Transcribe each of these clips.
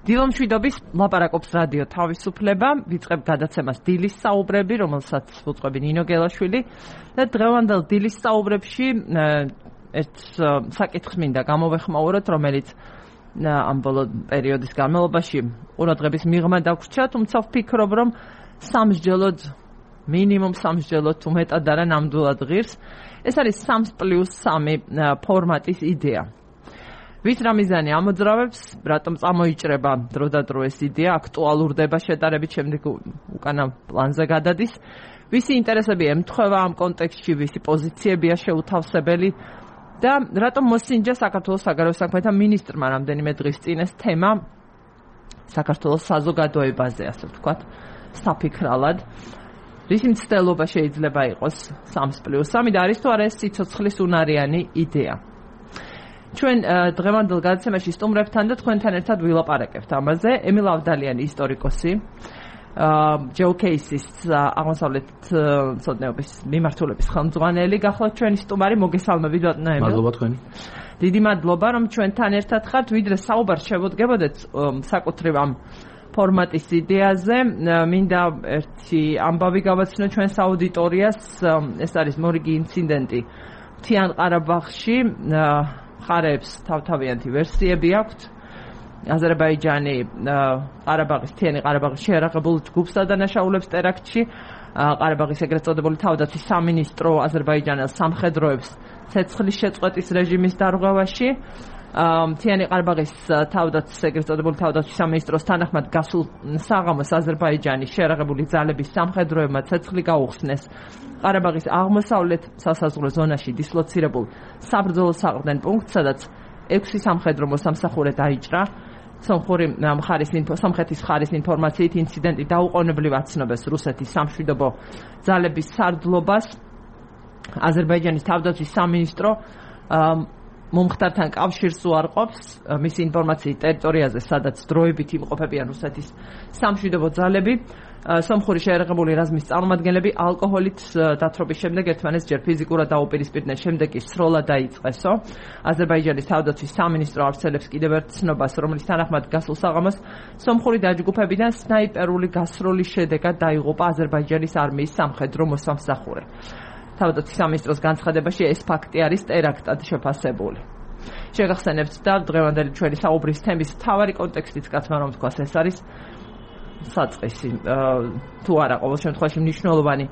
დილომშვიდობის ლაპარაკობს რადიო თავისუფლება, ვიწყებ გადაცემას დილის საუბრები, რომელსაც უწყობი ნინო გელაშვილი და დღევანდელ დილის საუბრებში ერთ საკითხს მინდა გამოვეხმაუროთ, რომელიც ამ ბოლო პერიოდის განმავლობაში ყურადღების მიღმა დაგვრჩა, თუმცა ვფიქრობ, რომ სამსჯელოდ მინიმუმ სამსჯელოდ თუ მეტად არა ნამდვილად ღირს. ეს არის 3+3 ფორმატის იდეა. ვის რა მიზანი ამოძრავებს, რატომ წამოიჭრება დროდადრო ეს იდეა, აქტუალურდება შეტარებით, შემდეგ უკანა პლანზე გადადის, ვისი ინტერესები ემთხვევა ამ კონტექსტში, ვისი პოზიციებია შეუთავსებელი და რატომ მოსინჯა საქართველოს საგარეო საქმეთა მინისტრმა რამდენიმე დღის წინ ეს თემა საქართველოს საზოგადოებაზე, ასე ვთქვათ, საფიქრალად. რისი მცდელობა შეიძლება იყოს 3+3 და არის თუ არა ეს სიცოცხლის უნარიანი იდეა. ჩვენ დღევანდელ გადაცემაში სტუმრებთან და თქვენთან ერთად ვილაპარაკებთ ამაზე. ემილ ავდალიანი ისტორიკოსი, ჯეოკეისის აღმოსავლეთ მცოდნეობის მიმართულების ხელმძღვანელი, გახლავთ ჩვენი სტუმარი, მოგესალმებით ბატონო ემილ. მადლობა თქვენ. დიდი მადლობა რომ ჩვენთან ერთად ხართ, ვიდრე საუბარს შევდგებოდეთ საკუთრივ ამ ფორმატის იდეაზე, მინდა ერთი ამბავი გავაცნო ჩვენს აუდიტორიას. ეს არის მორიგი ინციდენტი მთიან ყარაბაღში. მხარეებს თავთავიანთი ვერსიები აქვთ. აზერბაიჯანი ყარაბაღის მთიანი ყარაბაღის შეერაღებულ ჯგუფს ადანაშაულებს ტერაქტში. ყარაბაღის ეგრეთ წოდებული თავდაცვის სამინისტრო აზერბაიჯანელს სამხედროებს ცეცხლის შეწყვეტის რეჟიმის დარღვევაში. მთიანი ყარაბაღის თავდაცვის ეგრეთ წოდებული თავდაცვის სამინისტროს თანახმად გასულ საღამოს აზერბაიჯანის შეერაღებული ძალების სამხედროებმა ცეცხლი გაუხსნეს ყარაბაღის აღმოსავლეთ სასაზღვრო ზონაში დისლოცირებულ საბრძოლო საყრდენ პუნქტს, სადაც 6 სამხედრო მოსამსახურე დაიჭრა. სომხეთის მხარის ინფორმაციით ინციდენტი დაუყოვნებლივ აცნობს რუსეთის სამშვიდობო ძალების სარდლობას. აზერბაიჯანის თავდაცვის სამინისტრო მომხდართან კავშირს უარყოფს მისი ინფორმაციით ტერიტორიაზე, სადაც დროებით იმყოფებიან რუსეთის სამშვიდობო ძალები. სომხური შეერაღებული რაზმის წარმომადგენლები ალკოჰოლით დათრობის შემდეგ ერთმანეთს ჯერ ფიზიკურად დაუპირისპირდნენ, შემდეგ კი სროლა დაიწყესო. აზერბაიჯანის თავდაცვის სამინისტრო ავრცელებს კიდევ ერთ ცნობას, რომლის თანახმად გასულ საღამოს სომხური დაჯგუფებიდან სნაიპერული გასროლის შედეგად დაიღუპა აზერბაიჯანის არმიის სამხედრო მოსამსახურე. თავდაცვის სამინისტროს განცხადებაში ეს ფაქტი არის ტერაქტად შეფასებული. შეგახსენებთ და დღევანდელი ჩვენი საუბრის თემის მთავარი კონტექსტიც კაცმა რომ თქვას, ეს არის საწყისი თუ არა ყოველ შემთხვევაში მნიშვნელოვანი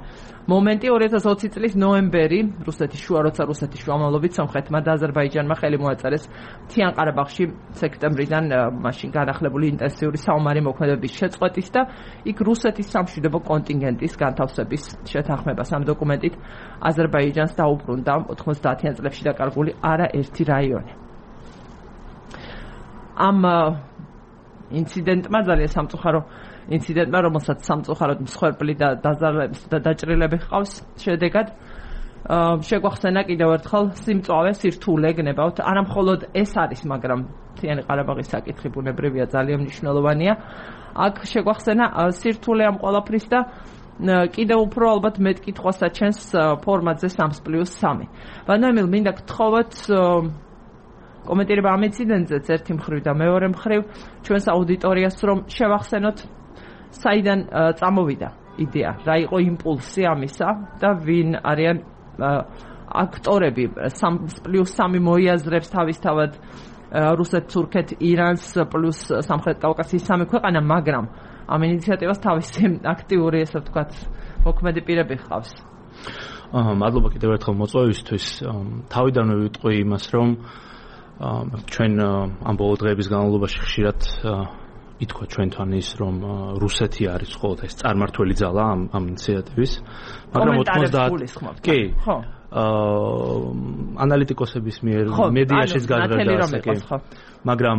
მომენტი. 2020 წლის ნოემბერი, რუსეთის შუა, როცა რუსეთის შუამავლობით სომხეთმა და აზერბაიჯანმა ხელი მოაწერეს მთიან ყარაბაღში სექტემბრიდან მაშინ განახლებული ინტენსიური საომარი მოქმედებების შეწყვეტის და იქ რუსეთის სამშვიდობო კონტინგენტის განთავსების შეთანხმებას. ამ დოკუმენტით აზერბაიჯანს დაუბრუნდა 90-იან წლებში დაკარგული არაერთი რაიონი. ამ ინციდენტმა, ძალიან სამწუხარო ინციდენტმა, რომელსაც სამწუხაროდ მსხვერპლი და დაჭრილები ჰყავს შედეგად, შეგვახსენა კიდევ ერთხელ სიმწვავე, სირთულე გნებავთ. არა მხოლოდ ეს არის, მაგრამ მთიანი ყარაბაღის საკითხი ბუნებრივია, ძალიან მნიშვნელოვანია. აქ შეგვახსენა სირთულე ამ ყველაფრის და კიდევ უფრო ალბათ მეტ კითხვას აჩენს ფორმატზე 3+3. ბატონო ემილ, მინდა გთხოვოთ კომენტირება ამ ინციდენტზეც ერთი მხრივ და მეორე მხრივ ჩვენს აუდიტორიას, რომ შევახსენოთ საიდან წამოვიდა იდეა, რა იყო იმპულსი ამისა და ვინ არიან აქტორები. 3+3 მოიაზრებს თავისთავად რუსეთს, თურქეთს, ირანს პლუს სამხრეთ კავკასიის 3 ქვეყანა, მაგრამ ამ ინიციატივას თავისი აქტიური, ესე ვთქვათ, მოქმედი პირები ჰყავს. მადლობა კიდევ ერთხელ მოწვევისთვის. თავიდანვე ვიტყვი იმას, რომ ჩვენ ამ ბოლო დღეების განმავლობაში ხშირად ითქვა ჩვენთან ის, რომ რუსეთი არის მხოლოდ ეს წარმართველი ძალა ამ ინიციატივის, მაგრამ 90 კი ანალიტიკოსების მიერ მედიაშიც გადადა, მაგრამ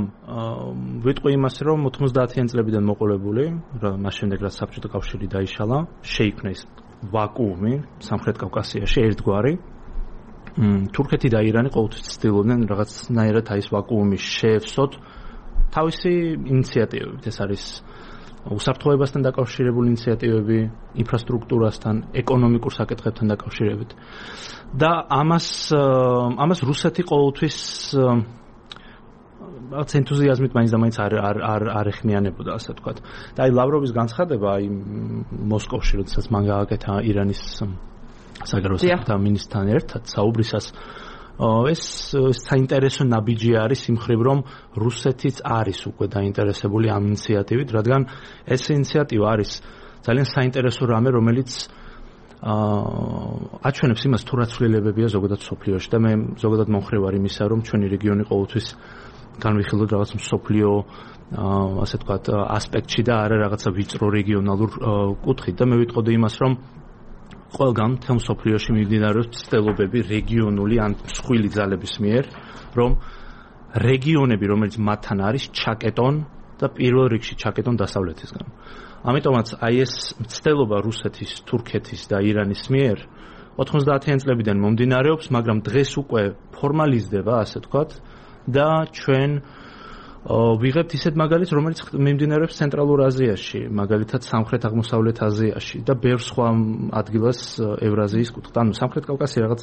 ვიტყვი იმას, რომ 90-იან წლებიდან მოყოლებული, მას შემდეგ რაც საბჭოთა კავშირი დაიშალა, შეიქმნა ეს ვაკუუმი სამხრეთ კავკასიაში ერთგვარი. თურქეთი და ირანი ყოველთვის ცდილობდნენ რაღაცნაირად აი ეს ვაკუუმი შეეცვოთ თავისი ინიციატივებით. ეს არის უსაფრთხოებასთან დაკავშირებული ინიციატივები, ინფრასტრუქტურასთან, ეკონომიკურ საკითხებთან დაკავშირებით. და ამას რუსეთი ყოველთვის რაღაც ენთუზიაზმით მაინც და მაინც არ ეხმიანებოდა, ასე ვთქვათ. და აი ლავროვის განცხადება აი მოსკოვში, როდესაც მან გააკეთა ირანის საგარეო საქმეთა მინისტრთან ერთად საუბრისას, ეს საინტერესო ნაბიჯი არის იმ მხრივ, რომ რუსეთიც არის უკვე დაინტერესებული ამ ინიციატივით, რადგან ეს ინიციატივა არის ძალიან საინტერესო რამე, რომელიც აჩვენებს იმას, თუ რა ცვლილებებია ზოგადად მსოფლიოში და მე ზოგადად მომხრე ვარ იმისა, რომ ჩვენი რეგიონი ყოველთვის განვიხილოთ რაღაც მსოფლიო ასე ვთქვათ ასპექტში და არა რაღაცა ვიწრო რეგიონალურ კუთხით და მე ვიტყოდი იმას, რომ ყველგან თემ მსოფლიოში მიმდინარეობს ცდილობები რეგიონული ან მსხვილი ძალების მიერ, რომ რეგიონები, რომელიც მათთან არის, ჩაკეტონ და პირველ რიგში ჩაკეტონ დასავლეთისგან. ამიტომაც აი ეს ცდილობა რუსეთის, თურქეთის და ირანის მიერ 90-იან წლებიდან მომდინარეობს, მაგრამ დღეს უკვე ფორმალიზდება, ასე ვთქვათ, და ჩვენ ვიღებთ ისეთ მაგალითს, რომელიც მიმდინარეობს ცენტრალურ აზიაში, მაგალითად სამხრეთ-აღმოსავლეთ აზიაში და ბევრ სხვა ადგილას ევრაზიის კუთხით. ანუ სამხრეთ კავკასია რაღაც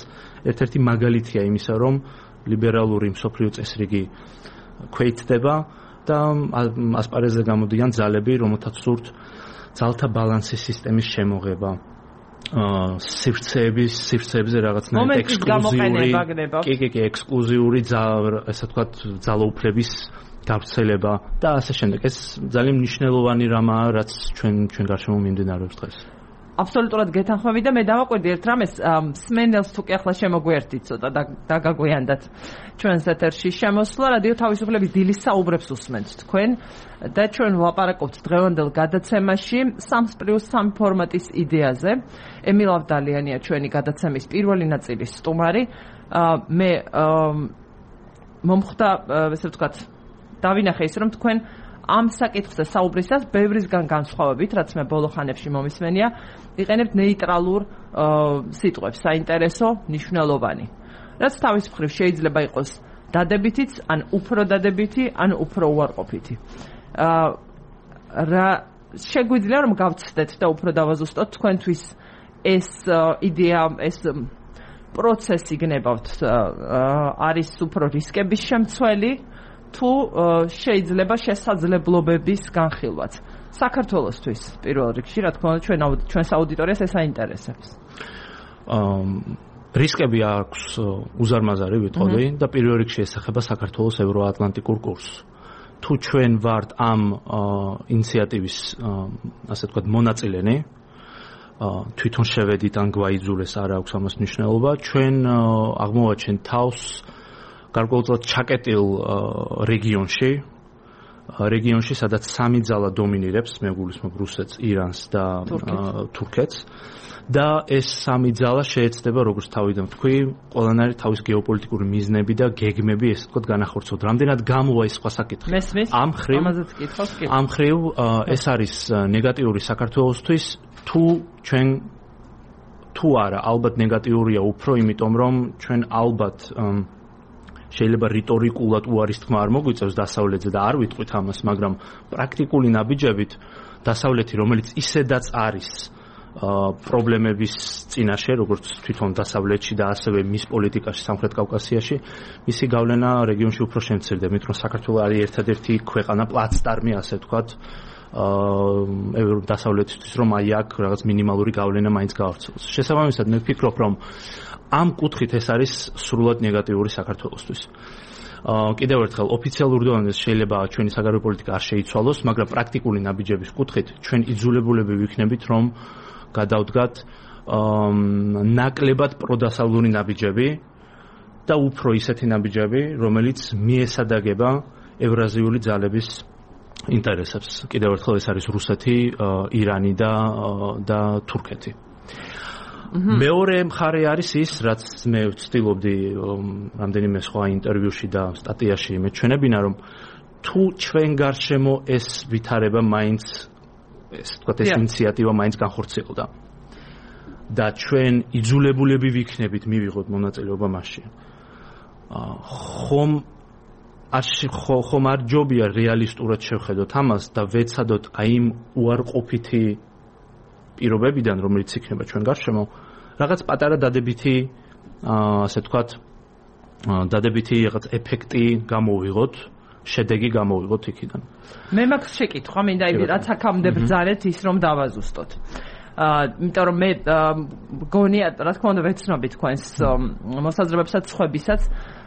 ერთ-ერთი მაგალითია იმისა, რომ ლიბერალური მსოფლიო წესრიგი ქვეითდება და ასპარეზზე გამოდიან ძალები, რომელთაც სურთ ძალთა ბალანსის სისტემის შემოღება. სივრცეებზე რაღაცნაირად ექსკლუზიური ასე ვთქვათ ძალაუფლების გავრცელება და ასე შემდეგ. ეს ძალიან მნიშვნელოვანი რამაა, რაც ჩვენ გარშემო მიმდინარეობს დღეს. აბსოლუტურად გეთანხმები და მე დავაკვირდი ერთ რამეს, სმენელს თუ კი ახლა შემოგვერთით ცოტა და დაგაგვიანდათ ჩვენს ეთერში შემოსვლა, რადიო თავისუფლების დილის საუბრებს უსმენთ თქვენ და ჩვენ ვლაპარაკობთ დღევანდელ გადაცემაში 3+3 ფორმატის იდეაზე. ემილ ავდალიანია ჩვენი გადაცემის პირველი ნაწილის სტუმარი. მე მომხვდა, ესე ვთქვათ, დავინახე ის, რომ თქვენ ამ საკითხზე საუბრისას ბევრისგან განსხვავებით, რაც მე ბოლო ხანებში მომისმენია, იყენებთ ნეიტრალურ სიტყვებს, საინტერესო, მნიშვნელოვანი. რაც თავის მხრივ შეიძლება იყოს დადებითიც, ან უფრო დადებითი, ან უფრო უარყოფითი. რა შეგვიძლია რომ გავცდეთ და უფრო დავაზუსტოთ თქვენთვის ეს იდეა, ეს პროცესი გნებავთ, არის უფრო რისკების შემცველი თუ შეიძლება შესაძლებლობების განხილვაც. საქართველოსთვის პირველ რიგში, რა თქმა უნდა, ჩვენს აუდიტორიას ეს აინტერესებს. რისკები აქვს უზარმაზარი ვიტყოდი და პირველ რიგში ესახება საქართველოს ევროატლანტიკურ კურსს. თუ ჩვენ ვართ ამ ინიციატივის ასე ვთქვათ მონაწილენი, თვითონ შევედით ან გვაიძულეს, არ აქვს ამას მნიშვნელობა, ჩვენ აღმოვაჩენთ თავს გარკვეულწილად ჩაკეტილ რეგიონში, სადაც სამი ძალა დომინირებს, მე გულისხმობ რუსეთს, ირანს და თურქეთს. და ეს სამი ძალა შეეცდება, როგორც თავიდან ვთქვი, ყველანაირი თავის გეოპოლიტიკური მიზნები და გეგმები, ესე ვთქვათ, განახორციელოთ. რამდენად გამოვა ის სხვა საკითხი. ამ მხრივ ეს არის ნეგატიური საქართველოსთვის, თუ არა, ალბათ ნეგატიურია უფრო, იმიტომ რომ ჩვენ ალბათ შეიძლება რიტორიკულად უარის თქმა არ მოგვიწევს დასავლეთზე და არ ვიტყვით ამას, მაგრამ პრაქტიკული ნაბიჯებით დასავლეთი, რომელიც ისედაც არის პრობლემების წინაშე, როგორც თვითონ დასავლეთში და ასევე მის პოლიტიკაში სამხრეთ კავკასიაში, მისი გავლენა რეგიონში უფრო შემცირდება, იმიტომ რომ საქართველო არის ერთადერთი ქვეყანა პლაცდარმი, ასე ვთქვათ, დასავლეთისთვის, რომ აი აქ რაღაც მინიმალური გავლენა მაინც გავრცელოს. შესაბამისად, მე ვფიქრობ, რომ ამ კუთხით ეს არის სრულად ნეგატიური საქართველოსთვის. კიდევ ერთხელ, ოფიციალურ დონეზე შეიძლება ჩვენი საგარეო პოლიტიკა არ შეიცვალოს, მაგრამ პრაქტიკული ნაბიჯების კუთხით ჩვენ იძულებულები ვიქნებით, რომ გადავდგათ ნაკლებად პროდასავლური ნაბიჯები და უფრო ისეთი ნაბიჯები, რომელიც მიესადაგება ევრაზიული ძალების ინტერესებს. კიდევ ერთხელ ეს არის რუსეთი, ირანი და თურქეთი. მეორე მხარე არის ის, რაც მე ვცდილობდი რამდენიმე სხვა ინტერვიუში და სტატიაში მეჩვენებინა, რომ თუ ჩვენ გარშემო ეს ვითარება მაინც ეს ინიციატივა მაინც განხორციელდა და ჩვენ იძულებულები ვიქნებით მივიღოთ მონაწილეობა მასში. ხომ არ ჯობია რეალისტურად შევხედოთ ამას და ვეცადოთ აი იმ უარყოფითი პირობებიდან, რომელიც იქნება ჩვენ გარშემო, რაღაც პატარა დადებითი, ასე ვთქვათ, დადებითი რაღაც ეფექტი გამოვიღოთ შედეგი გამოვიღოთ იქიდან. მე მაქვს შეკითხვა, მინდა იმი რაც აქამდე ბრძანეთ ის რომ დავაზუსტოთ. იმიტომ რომ მე მგონია, რა თქმა უნდა ვეცნობი თქვენს მოსაზრებებსაც, სხვებისაც.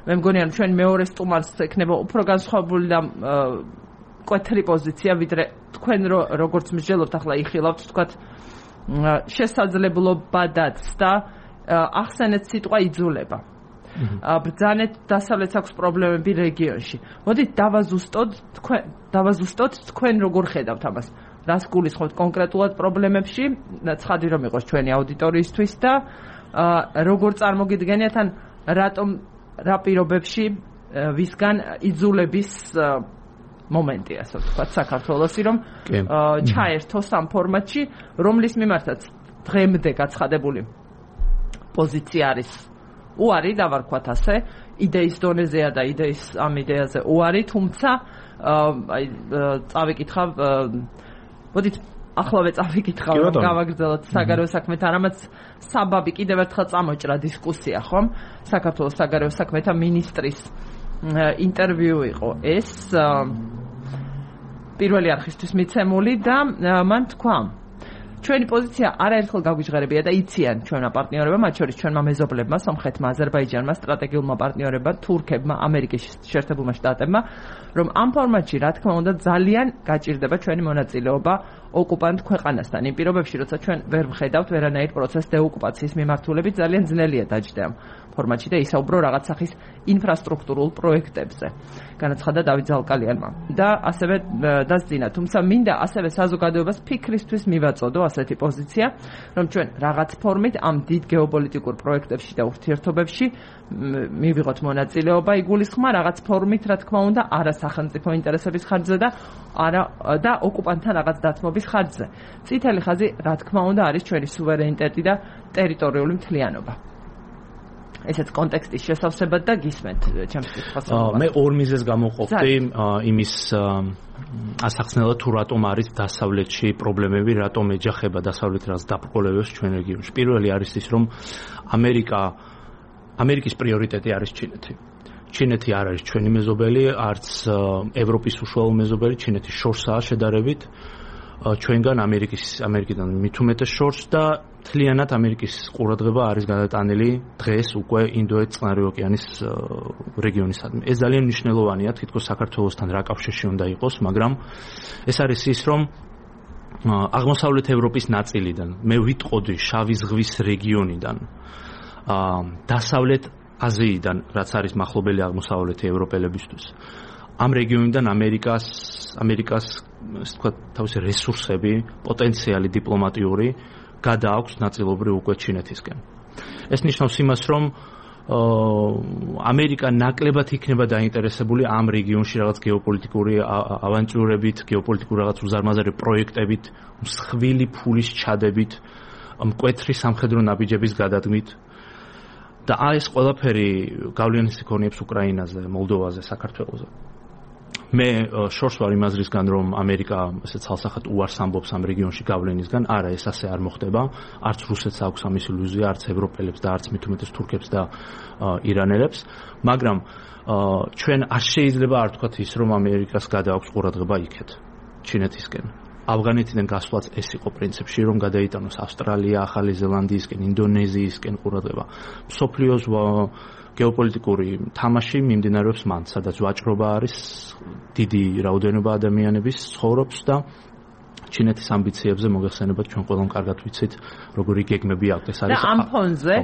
მე მგონია რომ ჩვენ მეორე სტუმარს ექნება უფრო განსხვავებული და მკვეთრი პოზიცია, ვიდრე თქვენ როგორც მსჯელობთ ახლა იხილავთ თქვათ შესაძლებლობადაც და ახსენეთ სიტყვა იძულება. ბრძანეთ დასავლეთს აქვს პრობლემები რეგიონში. მოდით დავაზუსტოთ თქვენ როგორ ხედავთ ამას. რას გულისხმობთ კონკრეტულად პრობლემებში, ცხადი რომ იყოს ჩვენი აუდიტორიისთვის და როგორ წარმოგიდგენიათ ან რა პირობებში ვისგან იძულების მომენტი, ასე ვთქვათ, საქართველოსი რომ ჩაერთოს ამ ფორმატში, რომლის მიმართაც დღემდე გაცხადებული პოზიცია არის უარი, დავარქვათ ასე, იდეის დონეზეა და ამ იდეაზე უარი, თუმცა წავიკითხავ, მოდით ახლავე წავიკითხავ, რომ გავაგრძელოთ საგარეო საქმეთა, რამაც საბაბი კიდევ ერთხელ წამოჭრა დისკუსია, ხომ? საქართველოს საგარეო საქმეთა მინისტრის ინტერვიუ იყო ეს პირველი არხისთვის მიცემული და მან თქვა ჩვენი პოზიცია არაერთხელ გაგვიჟღერებია და იციან ჩვენმა პარტნიორებმა, მათ შორის ჩვენმა მეზობლებმა, სომხეთმა, აზერბაიჯანმა, სტრატეგიულმა პარტნიორებმა, თურქებმა, ამერიკის შეერთებულმა შტატებმა, რომ ამ ფორმატში, რა თქმა უნდა, ძალიან გაჭირდება ჩვენი მონაწილეობა ოკუპანტ ქვეყანასთან. იმ პირობებში, როცა ჩვენ ვერ ვხედავთ ვერანაირ პროცესს დეოკუპაციის მიმართულებით, ძალიან ძნელია დაჯდა ამ ფორმატში და ისაუბრო რაღაც სახის ინფრასტრუქტურულ პროექტებზე. განაცხადა დავით ზალკალიანმა და ასევე დასძინა, თუმცა მინდა ასევე საზოგადოებას ფიქრისთვის მივაწოდო ასეთი პოზიცია, რომ ჩვენ რაღაც ფორმით ამ დიდ გეოპოლიტიკურ პროექტებში და ურთიერთობებში მივიღოთ მონაწილეობა, იგულისხმა რაღაც ფორმით, რა თქმა უნდა, არა სახელმწიფო ინტერესების ხარჯზე და არა და ოკუპანტთან რაღაც დათმობის ხარჯზე. წითელი ხაზი, რა თქმა უნდა, არის ჩვენი სუვერენიტეტი და ტერიტორიული მთლიანობა. ესეც კონტექსტის შესავსებად და გისმენთ ჩემს კითხვას. მე ორ მიზეზს გამოყოფდი იმის ასახსნელად თუ რატომ არის დასავლეთში პრობლემები, რატომ ეჯახება დასავლეთ რას დაბრკოლებებს ჩვენ რეგიონში. პირველი არის ის, რომ ამერიკის პრიორიტეტი არის ჩინეთი. ჩინეთი არ არის ჩვენი მეზობელი, არც ევროპის უშუალო მეზობელი, ჩინეთი შორსაა შედარებით ჩვენგან ამერიკიდან მით უმეტეს შორს და მთლიანად ამერიკის ყურადღება არის გადატანილი დღეს უკვე ინდოეთ-წყნარი ოკეანის რეგიონისადმი. ეს ძალიან მნიშვნელოვანია, თითქოს საქართველოსთან რა კავშირში უნდა იყოს, მაგრამ ეს არის ის, რომ აღმოსავლეთ ევროპის ნაწილიდან, მე ვიტყოდი შავი ზღვის რეგიონიდან, დასავლეთ აზიიდან, რაც არის მახლობელი აღმოსავლეთი ევროპელებისთვის. ამ რეგიონიდან ამერიკას ასე ვთქვათ, თავისი რესურსები, პოტენციალი დიპლომატიური გადააქვს ნაწილობრივ უკვე ჩინეთისკენ. ეს ნიშნავს იმას, რომ ამერიკა ნაკლებად იქნება დაინტერესებული ამ რეგიონში რაღაც გეოპოლიტიკური ავანტიურებით, გეოპოლიტიკური რაღაც უზარმაზარი პროექტებით, მსხვილი ფულის ჩადებით, მკვეთრი სამხედრო ნაბიჯების გადადგმით. და ეს ყველაფერი გავლენას იქონიებს უკრაინაზე, მოლდოვაზე, საქართველოზე. მე შორს ვარ იმ აზრისგან, რომ ამერიკა ესე ცალსახად უარს ამბობს ამ რეგიონში გავლენისგან. არა, ეს ასე არ მოხდება. არც რუსეთს აქვს ამის ილუზია, არც ევროპელებს და არც მით უმეტეს თურქებს და ირანელებს. მაგრამ ჩვენ არ შეიძლება არ ვთქვათ ის, რომ ამერიკას გადააქვს ყურადღება იქეთ, ჩინეთისკენ. ავღანეთიდან გასვლაც ეს იყო პრინციპში, რომ გადაიტანოს ავსტრალია, ახალი ზელანდიისკენ, ინდონეზიისკენ ყურადღება. მსოფლიოს გეოპოლიტიკური თამაში მიმდინარეობს მან, სადაც ვაჭრობა არის, დიდი რაოდენობა ადამიანების ცხოვრობს და ჩინეთის ამბიციებზე მოგეხსენებათ ჩვენ ყველამ კარგად ვიცით, როგორი გეგმები აქვს. ეს არის და ამ ფონზე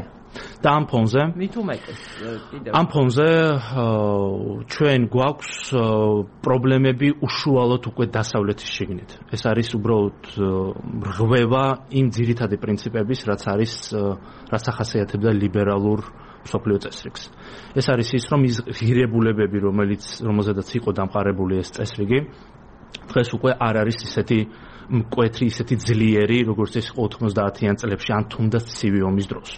და ამ ფონზე მით უმეტეს კიდევ ამ ფონზე ჩვენ გვაქვს პრობლემები უშუალოდ უკვე დასავლეთის შიგნით. ეს არის უბრალოდ რღვევა იმ ძირითადი პრინციპების, რაც ახასიათებდა ლიბერალურ მსოფლიო წესრიგს. ეს არის ის, რომ ის ღირებულებები, რომელზედაც იყო დამყარებული ეს წესრიგი, დღეს უკვე არ არის ისეთი მკვეთრი, ისეთი ძლიერი, როგორც ეს 90-იან წლებში, ან თუნდაც ცივი ომის დროს.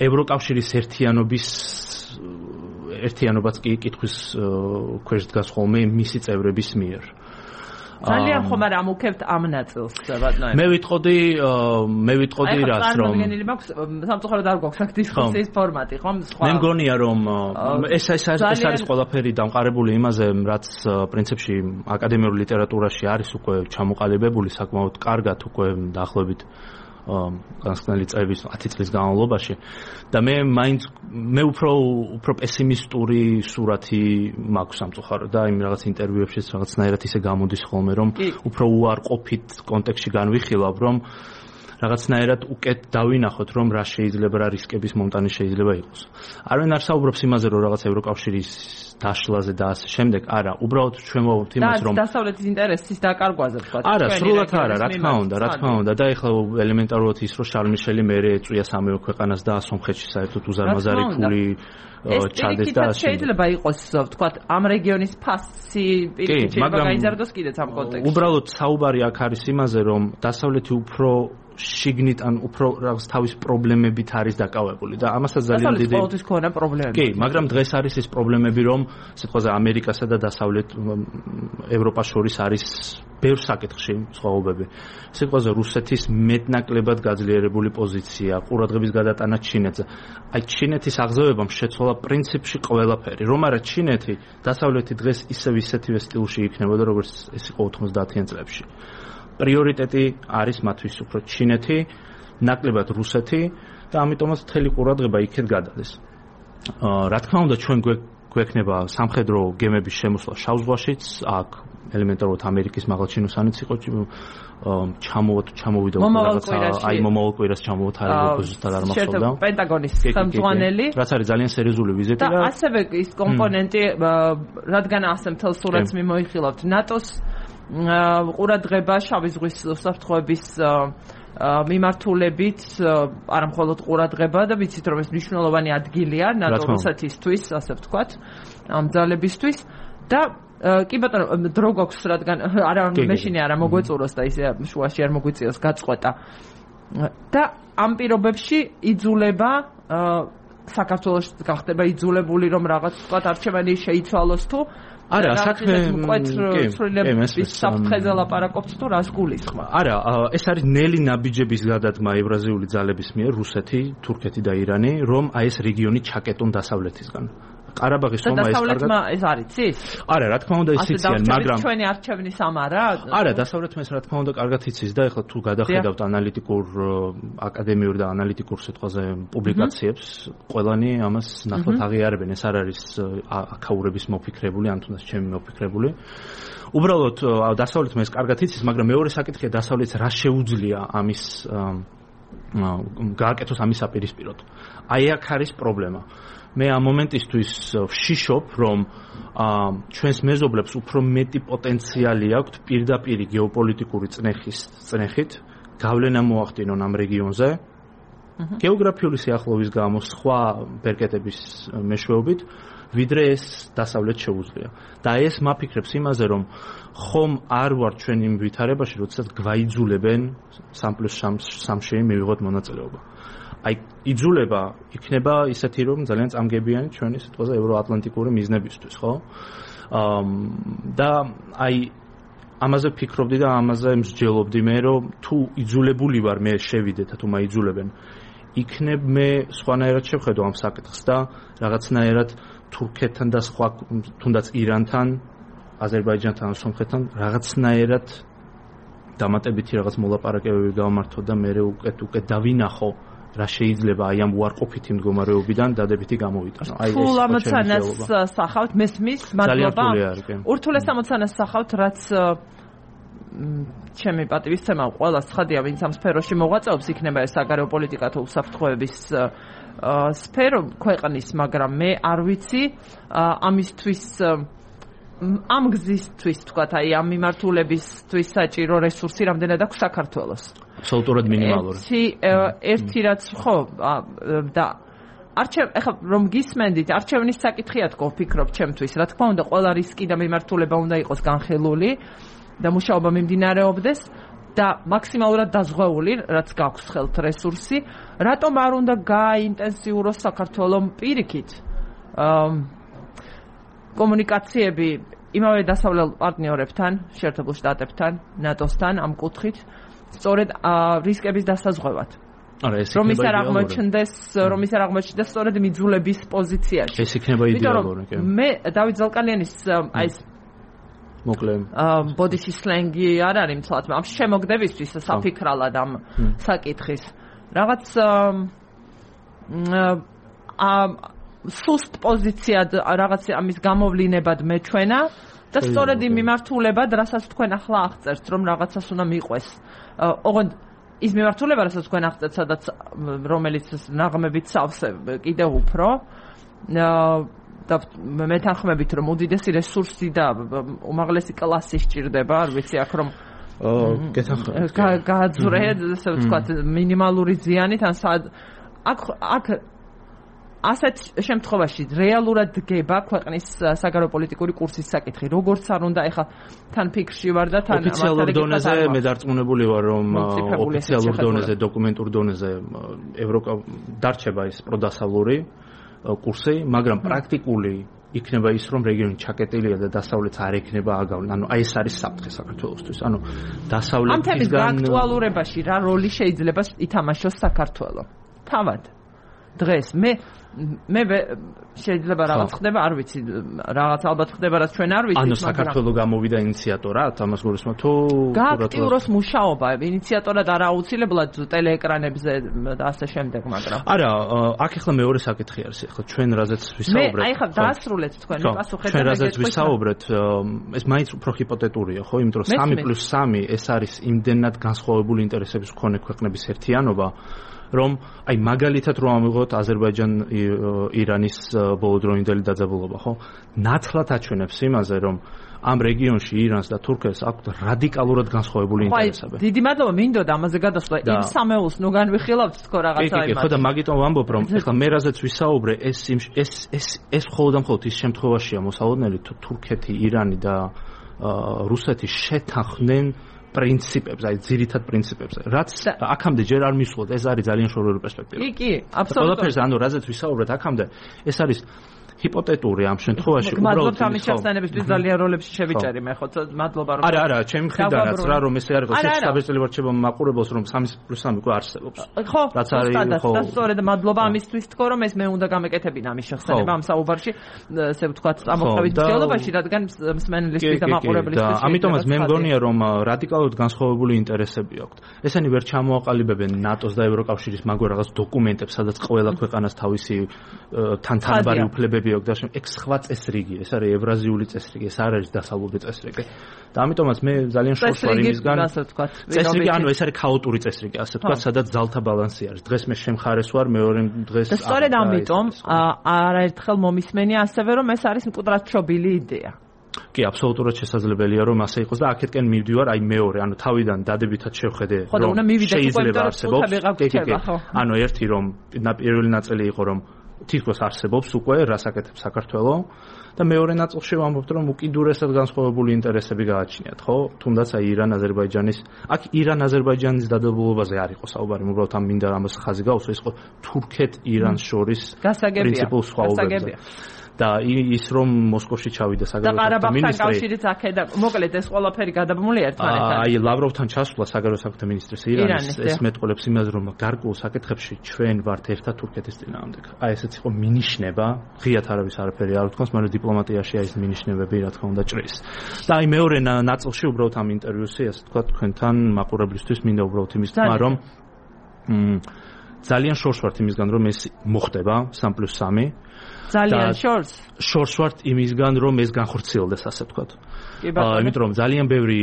ევროკავშირის ერთიანობაც კი კითხვის ქვეშ დგას ხოლმე მისი წევრების მიერ. ძალიან ხომ არ ამუქებთ ამ ნაწილს ბატონო. მე ვიტყოდი რას რომ სამწუხაროდ არ გვაქვს აქ დისკუსიის ფორმატი, ხომ? მე მგონია რომ ეს არის ყველაფერი დამყარებული იმაზე, რაც პრინციპში აკადემიურ ლიტერატურაში არის უკვე ჩამოყალიბებული საკმაოდ კარგად უკვე დაახლოებით განსხვავებული წლების 10 წლის განმავლობაში და მე უფრო პესიმისტური სურათი მაქვს სამწუხაროდ და იმ რაღაც ინტერვიუებშიც რაღაცნაირად ისე გამოდის ხოლმე რომ უფრო უარყოფით კონტექსტში განვიხილავ რომ რაღაცნაირად უკეთ დავინახოთ რომ რა შეიძლება რა რისკების მომტანი შეიძლება იყოს. არვინ არ საუბრობს იმაზე რომ რაღაც ევროკავშირის დაშლაზე და ასე შემდეგ, არა, უბრალოდ ჩვენ ვაუბრობთ იმას რომ დასავლეთის ინტერესის დაკარგვაზე ვთქვა. არა, სრულად არა, რა თქმა უნდა და ეხლა ელემენტარულად ის რომ შარლ მიშელი მერე ეწვია სამეო ქვეყანას და სომხეთში საერთოდ უზარმაზარი ფული ჩადეს და შეიძლება იყოს ვთქვათ ამ რეგიონის ფასი პირიქით შეიძლება გაიზარდოს კიდეც ამ კონტექსტში. უბრალოდ საუბარი აქ არის იმაზე რომ დასავლეთი უფრო შიგნით ან უფრო რაღაც თავის პრობლემებით არის დაკავებული და ამასაც ძალიან დიდი დასავლეთის ქონა პრობლემები. კი, მაგრამ დღეს არის ეს პრობლემები რომ სიტყვაზე ამერიკასა და დასავლეთ ევროპას შორის არის ბევრ საკითხში სხვაობები. სიტყვაზე რუსეთის მეტნაკლებად გაძლიერებული პოზიცია, ყურადღების გადატანა ჩინეთზე. აი ჩინეთის აღზევებამ შეცვალა პრინციპში ყველაფერი. რომ არა ჩინეთი დასავლეთი დღეს ისეთივე სტილში იქნებოდა როგორც ეს იყო 90-იან წლებში. პრიორიტეტი არის მათთვის უფრო ჩინეთი, ნაკლებად რუსეთი და ამიტომაც მთელი ყურადღება იქეთ გადადეს. რა თქმა უნდა ჩვენ გვექნება სამხედრო გემების შემოსვლა შავ ზღვაშიც, აქ ელემენტარულად ამერიკის მაღალჩინოსანიც იყო ჩამოვიდა აი მომავალ კვირას ჩამოვთარებულ ზუსტად არ მახსოვდა. პენტაგონის ხელმძღვანელი, რაც არის ძალიან სერიოზული ვიზიტი და ასევე ის კომპონენტი, რადგან ასე მთელ სურათს მიმოიხილავთ ნატოს ყურადღება შავი ზღვის უსაფრთხოების მიმართულებით, არა მხოლოდ ყურადღება და ვიცით რომ ეს მნიშვნელოვანი ადგილია ნატო რუსეთისთვის, ასე ვთქვათ, ამ ძალებისთვის და კი ბატონო დრო გვაქვს რადგან არა მეშინე არა მოგვეწუროს და ისე შუაში არ მოგვიწიოს გაწყვეტა და ამ პირობებში იძულება საქართველოს გახდება იძულებული რომ რაღაც ვთქვათ არჩევანი შეიცვალოს თუ არა, საქმე მკვეთრ საფრთხეზე ლაპარაკობთ თუ რას გულისხმობ? არა, ეს არის ნელი ნაბიჯების გადადგმა ევრაზიული ძალების მიერ რუსეთი, თურქეთი და ირანი, რომ აი ეს რეგიონი ჩაკეტონ დასავლეთისგან. ყარაბაღის ხომ ეს დასავლეთმა ეს არის იცის? არა, რა თქმა უნდა იციან, მაგრამ ჩვენი არჩევნის ამ არა? არა, დასავლეთმა ეს რა თქმა უნდა კარგად იცის და ეხლა თუ გადახედავთ ანალიტიკურ აკადემიურ და ანალიტიკურ სიტყვაზე პუბლიკაციებს, ყველანი ამას ნახოთ აღიარებენ, ეს არ არის აქაურების მოფიქრებული, ან თუნდაც ჩემი მოფიქრებული. უბრალოდ დასავლეთმა ეს კარგად იცის, მაგრამ მეორე საკითხია დასავლეთს რა შეუძლია ამის გააკეთოს ამის საპირისპიროდ. აი აქ არის პრობლემა. მე ამ მომენტისთვის ვშიშობ, რომ ჩვენს მეზობლებს უფრო მეტი პოტენციალი აქვთ პირდაპირ გეოპოლიტიკური წნეხით გავლენა მოახდინონ ამ რეგიონზე. გეოგრაფიული სიახლოვის გამო სხვა ბერკეტების მეშვეობით, ვიდრე ეს დასავლეთ შეუძლია. და ეს მაფიქრებს იმაზე, რომ ხომ არ ვარ ჩვენ იმ ვითარებაში, როდესაც გვაიძულებენ 3+3-ში მივიღოთ მონაწილეობა. აი იძულება იქნება ისეთი რომ ძალიან წამგებიანი ჩვენი სიტყვაზე ევროატლანტიკური მიზნებისთვის, ხო? და აი ამაზე ფიქრობდი და ამაზე მსჯელობდი მე რომ თუ იძულებული ვარ მე შევიდე და თუ მაიძულებენ იქნებ მე სხვანაირად შევხედო ამ საკითხს და რაღაცნაირად თურქეთთან და სხვა თუნდაც ირანთან, აზერბაიჯანთან, სომხეთთან რაღაცნაირად დამატებითი რაღაც მოლაპარაკებები გავმართო და მე უკეთ დავინახო რა შეიძლება აი ამ უარყოფითი მდგომარეობიდან დადებითი გამოვიტანო. აი ეს ამოცანას სახავთ მესმის მადლობა. ურთულეს ამოცანას სახავთ, რაც ჩემი პატივისცემა ყველა ცხადია, ვინც ამ სფეროში მოღვაწეობს, იქნება ეს საგარეო პოლიტიკა თუ უსაფრთხოების სფერო ქვეყნის, მაგრამ მე არ ვიცი ამისთვის ამ გზისთვის თქვათ, აი ამ მიმართულებისთვის საჭირო რესურსი რამდენად აქვს საქართველოს. აბსოლუტურად მინიმალური. ერთი რაც ხო და ახლა რომ გისმენდით, არჩევნის საკითხია თქო ვფიქრობ ჩემთვის. რა თქმა უნდა, ყველა რისკი და მიმართულება უნდა იყოს განხილული და მუშაობა მიმდინარეობდეს და მაქსიმალურად დაზღვეული, რაც გაქვს ხელთ რესურსი. რატომ არ უნდა გააინტენსიუროს საქართველოს პირიქით კომუნიკაციები იმავე დასავლელ პარტნიორებთან, შეერთებულ შტატებთან, ნატოსთან ამ კუთხით, სწორედ რისკების დასაზღვევად. რომ ის არ აღმოჩნდეს სწორედ მიძულების პოზიციაში. ეს იქნება იდეალური, კი. მე დავით ზალკალიანის აი ეს მოკლე ბოდიში სლენგი არ არის მცლად, ამ შემოგდებისთვის საფიქრალად ამ საკითხის. რაღაც სუსტ პოზიციად რაღაც ამის გამოვლინებად მეჩვენა და სწორედ იმ მიმართულებად, რასაც თქვენ ახლა აღწერთ, რომ რაღაცას უნდა მიყვეს. ოღონდ ის მიმართულება, რასაც თქვენ აღწერთ, სადაც რომელიც ნაღმებით სავსე კიდევ უფრო და მეთანხმებით, რომ უდიდესი რესურსი და უმაღლესი კლასი სჭირდება, არ ვიცი აქ რომ გააძვრე, ასე ვთქვათ, მინიმალური ზიანით ან აქ ასეთ შემთხვევაში რეალურად დგება ქვეყნის საგარეო პოლიტიკური კურსის საკითხი. როგორც არ უნდა ეხლა თან ფიქრში ვარ და თან ოფიციალურ დონეზე მე დარწმუნებული ვარ, რომ ოფიციალურ დონეზე, დოკუმენტურ დონეზე ევროკა დარჩება ის პროდასავლური კურსი, მაგრამ პრაქტიკული იქნება ის, რომ რეგიონი ჩაკეტილია და დასავლეთს არ ექნება აგავლენ. ანუ აი ეს არის საფრთხე საქართველოსთვის. ანუ დასავლეთისგან ამ თემის გააქტუალურებაში რა როლი შეიძლება ითამაშოს საქართველო? თავად დღეს მე შეიძლება რაღაც ხდება, არ ვიცი, რაღაც ალბათ ხდება, რაც ჩვენ არ ვიცით, ანუ საქართველოს გამოვიდა ინიციატორად ამას გულისხმობ თუ გააქტიუროს მუშაობა ინიციატორად არ აუცილებლად ტელეეკრანებზე და ასე შემდეგ, მაგრამ არა, აქ ახლა მეორე საკითხი არის, ახლა ჩვენ რაზეც ვისაუბრეთ. მე აი ხა დაასრულეთ თქვენ პასუხეთ ჩვენ რაზეც ვისაუბრეთ, ეს მაინც უფრო ჰიპოთეტურია, ხო, იმიტომ რომ 3+3 ეს არის იმდენად განსხვავებული ინტერესების მქონე ქვეყნების ერთიანობა, რომ აი მაგალითად რომ ამიღოთ აზერბაიჯან-ირანის ბოლოდროინდელი დაძაბულობა, ხო? ნათლად აჩვენებს იმაზე, რომ ამ რეგიონში ირანს და თურქეთს აქვთ რადიკალურად განსხვავებული ინტერესები. დიდი მადლობა, მინდოდა ამაზე გადასვლა. იმ სამეულს ნუ განვიხილავთ თქო რაღაცა იმას. კი, ხო და მაგიტომ ვამბობ, რომ ეხლა მე რაზეც ვისაუბრე, ეს მხოლოდ ის შემთხვევაშია მოსალოდნელი, თუ თურქეთი, ირანი და რუსეთი შეთანხმდნენ პრინციპებს, აი ძირითად პრინციპებს, რაც აქამდე ჯერ არ მისულოთ, ეს არის ძალიან შორეული პერსპექტივა. კი, აბსოლუტურად. ყველაფერს ანუ რაზეც ვისაუბრეთ აქამდე, ეს არის ჰიპოთეტური ამ შემთხვევაში უბრალოდ ამის ჩახსენებისთვის ძალიან როლებში შევიჭერი მე ხო მადლობა რომ არა ჩემი მხრიდანაც რა რომ ესე არ იყოს საბერძნელი ვარჩება მაყურებელს რომ 3+3 უკვე არსებობს ხო რაც არის ხო და სწორედ მადლობა ამისთვის თქო რომ ეს მე უნდა გამეკეთებინა ამის შეხსენება ამ საუბარში ესე ვთქვათ ამოხსნით ფსიქოლოგიაში რადგან მსმენელისთვის და მაყურებლისთვის ამიტომაც მე მგონია რომ რადიკალურად განსხვავებული ინტერესები აქვთ ესენი ვერ ჩამოაყალიბებენ ნატოს და ევროკავშირის მაგ რაღაც დოკუმენტებს სადაც ყველა ქვეყანას თავისი თანაბარი უფლებები და ეს სხვა წესრიგი, ეს არის ევრაზიული წესრიგი, ეს არ არის დასავლური წესრიგი. და ამიტომაც მე ძალიან შორს ვარ იმისგან, წესრიგი, ანუ ეს არის ქაოტური წესრიგი, ასე ვთქვათ, სადაც ძალთა ბალანსი არის. დღეს მე შემხარეს ვარ, მეორე დღეს და სწორედ ამიტომ არაერთხელ მომისმენია ასევე რომ ეს არის მკვდრად შობილი იდეა. კი, აბსოლუტურად შესაძლებელია რომ ასე იყოს და აქეთკენ მივდივარ, აი მეორე, ანუ თავიდან დადებითად შევხედე რომ შეიძლება არსებობს. ანუ ერთი რომ პირველი ნაწილი იყო რომ თითქოს არსებობს უკვე რას აკეთებს საქართველო და მეორე ნაწილში ვამბობთ რომ უკიდურესად განსხვავებული ინტერესები გააჩნიათ ხო თუნდაც აი ირან-აზერბაიჯანის აქ ირან-აზერბაიჯანის დადებულობაზე არ იყო საუბარი უბრალოდ ამ მინდა ამას ხაზი გაუსვა ის იყო თურქეთ-ირანს შორის პრინციპულ სხვაობებზე და ის რომ მოსკოვში ჩავიდა საგარეო მინისტრი კავშირიც აქედა მოკლედ ეს ყველაფერი გადაბმული ერთმანეთთან აი ლავროვთან ჩასვლა საგარეო საქმეთა მინისტრის ირანის ეს მეტყოლებს იმას რომ გარკვეულ საკითხებში ჩვენ ვართ ერთად თურქეთის წინააღმდეგ აი ესეც იყო მინიშნება ღიათ არავის არაფერი არ ვთქვას მაგრამ დიპლომატიაში აი ეს მინიშნებები რა თქმა უნდა ჭრის და აი მეორე ნაწილში უბრალოდ ამ ინტერვიუსი ასე თქვა თქვენთან მაყურებლისთვის მინდა უბრალოდ იმის თქმა რომ ძალიან შორს ვართ იმისგან რომ ეს მოხდება 3+3 ძალიან შორს ვართ იმისგან რომ ეს განხორციელდეს ასე ვთქვათ. იმიტომ რომ ძალიან ბევრი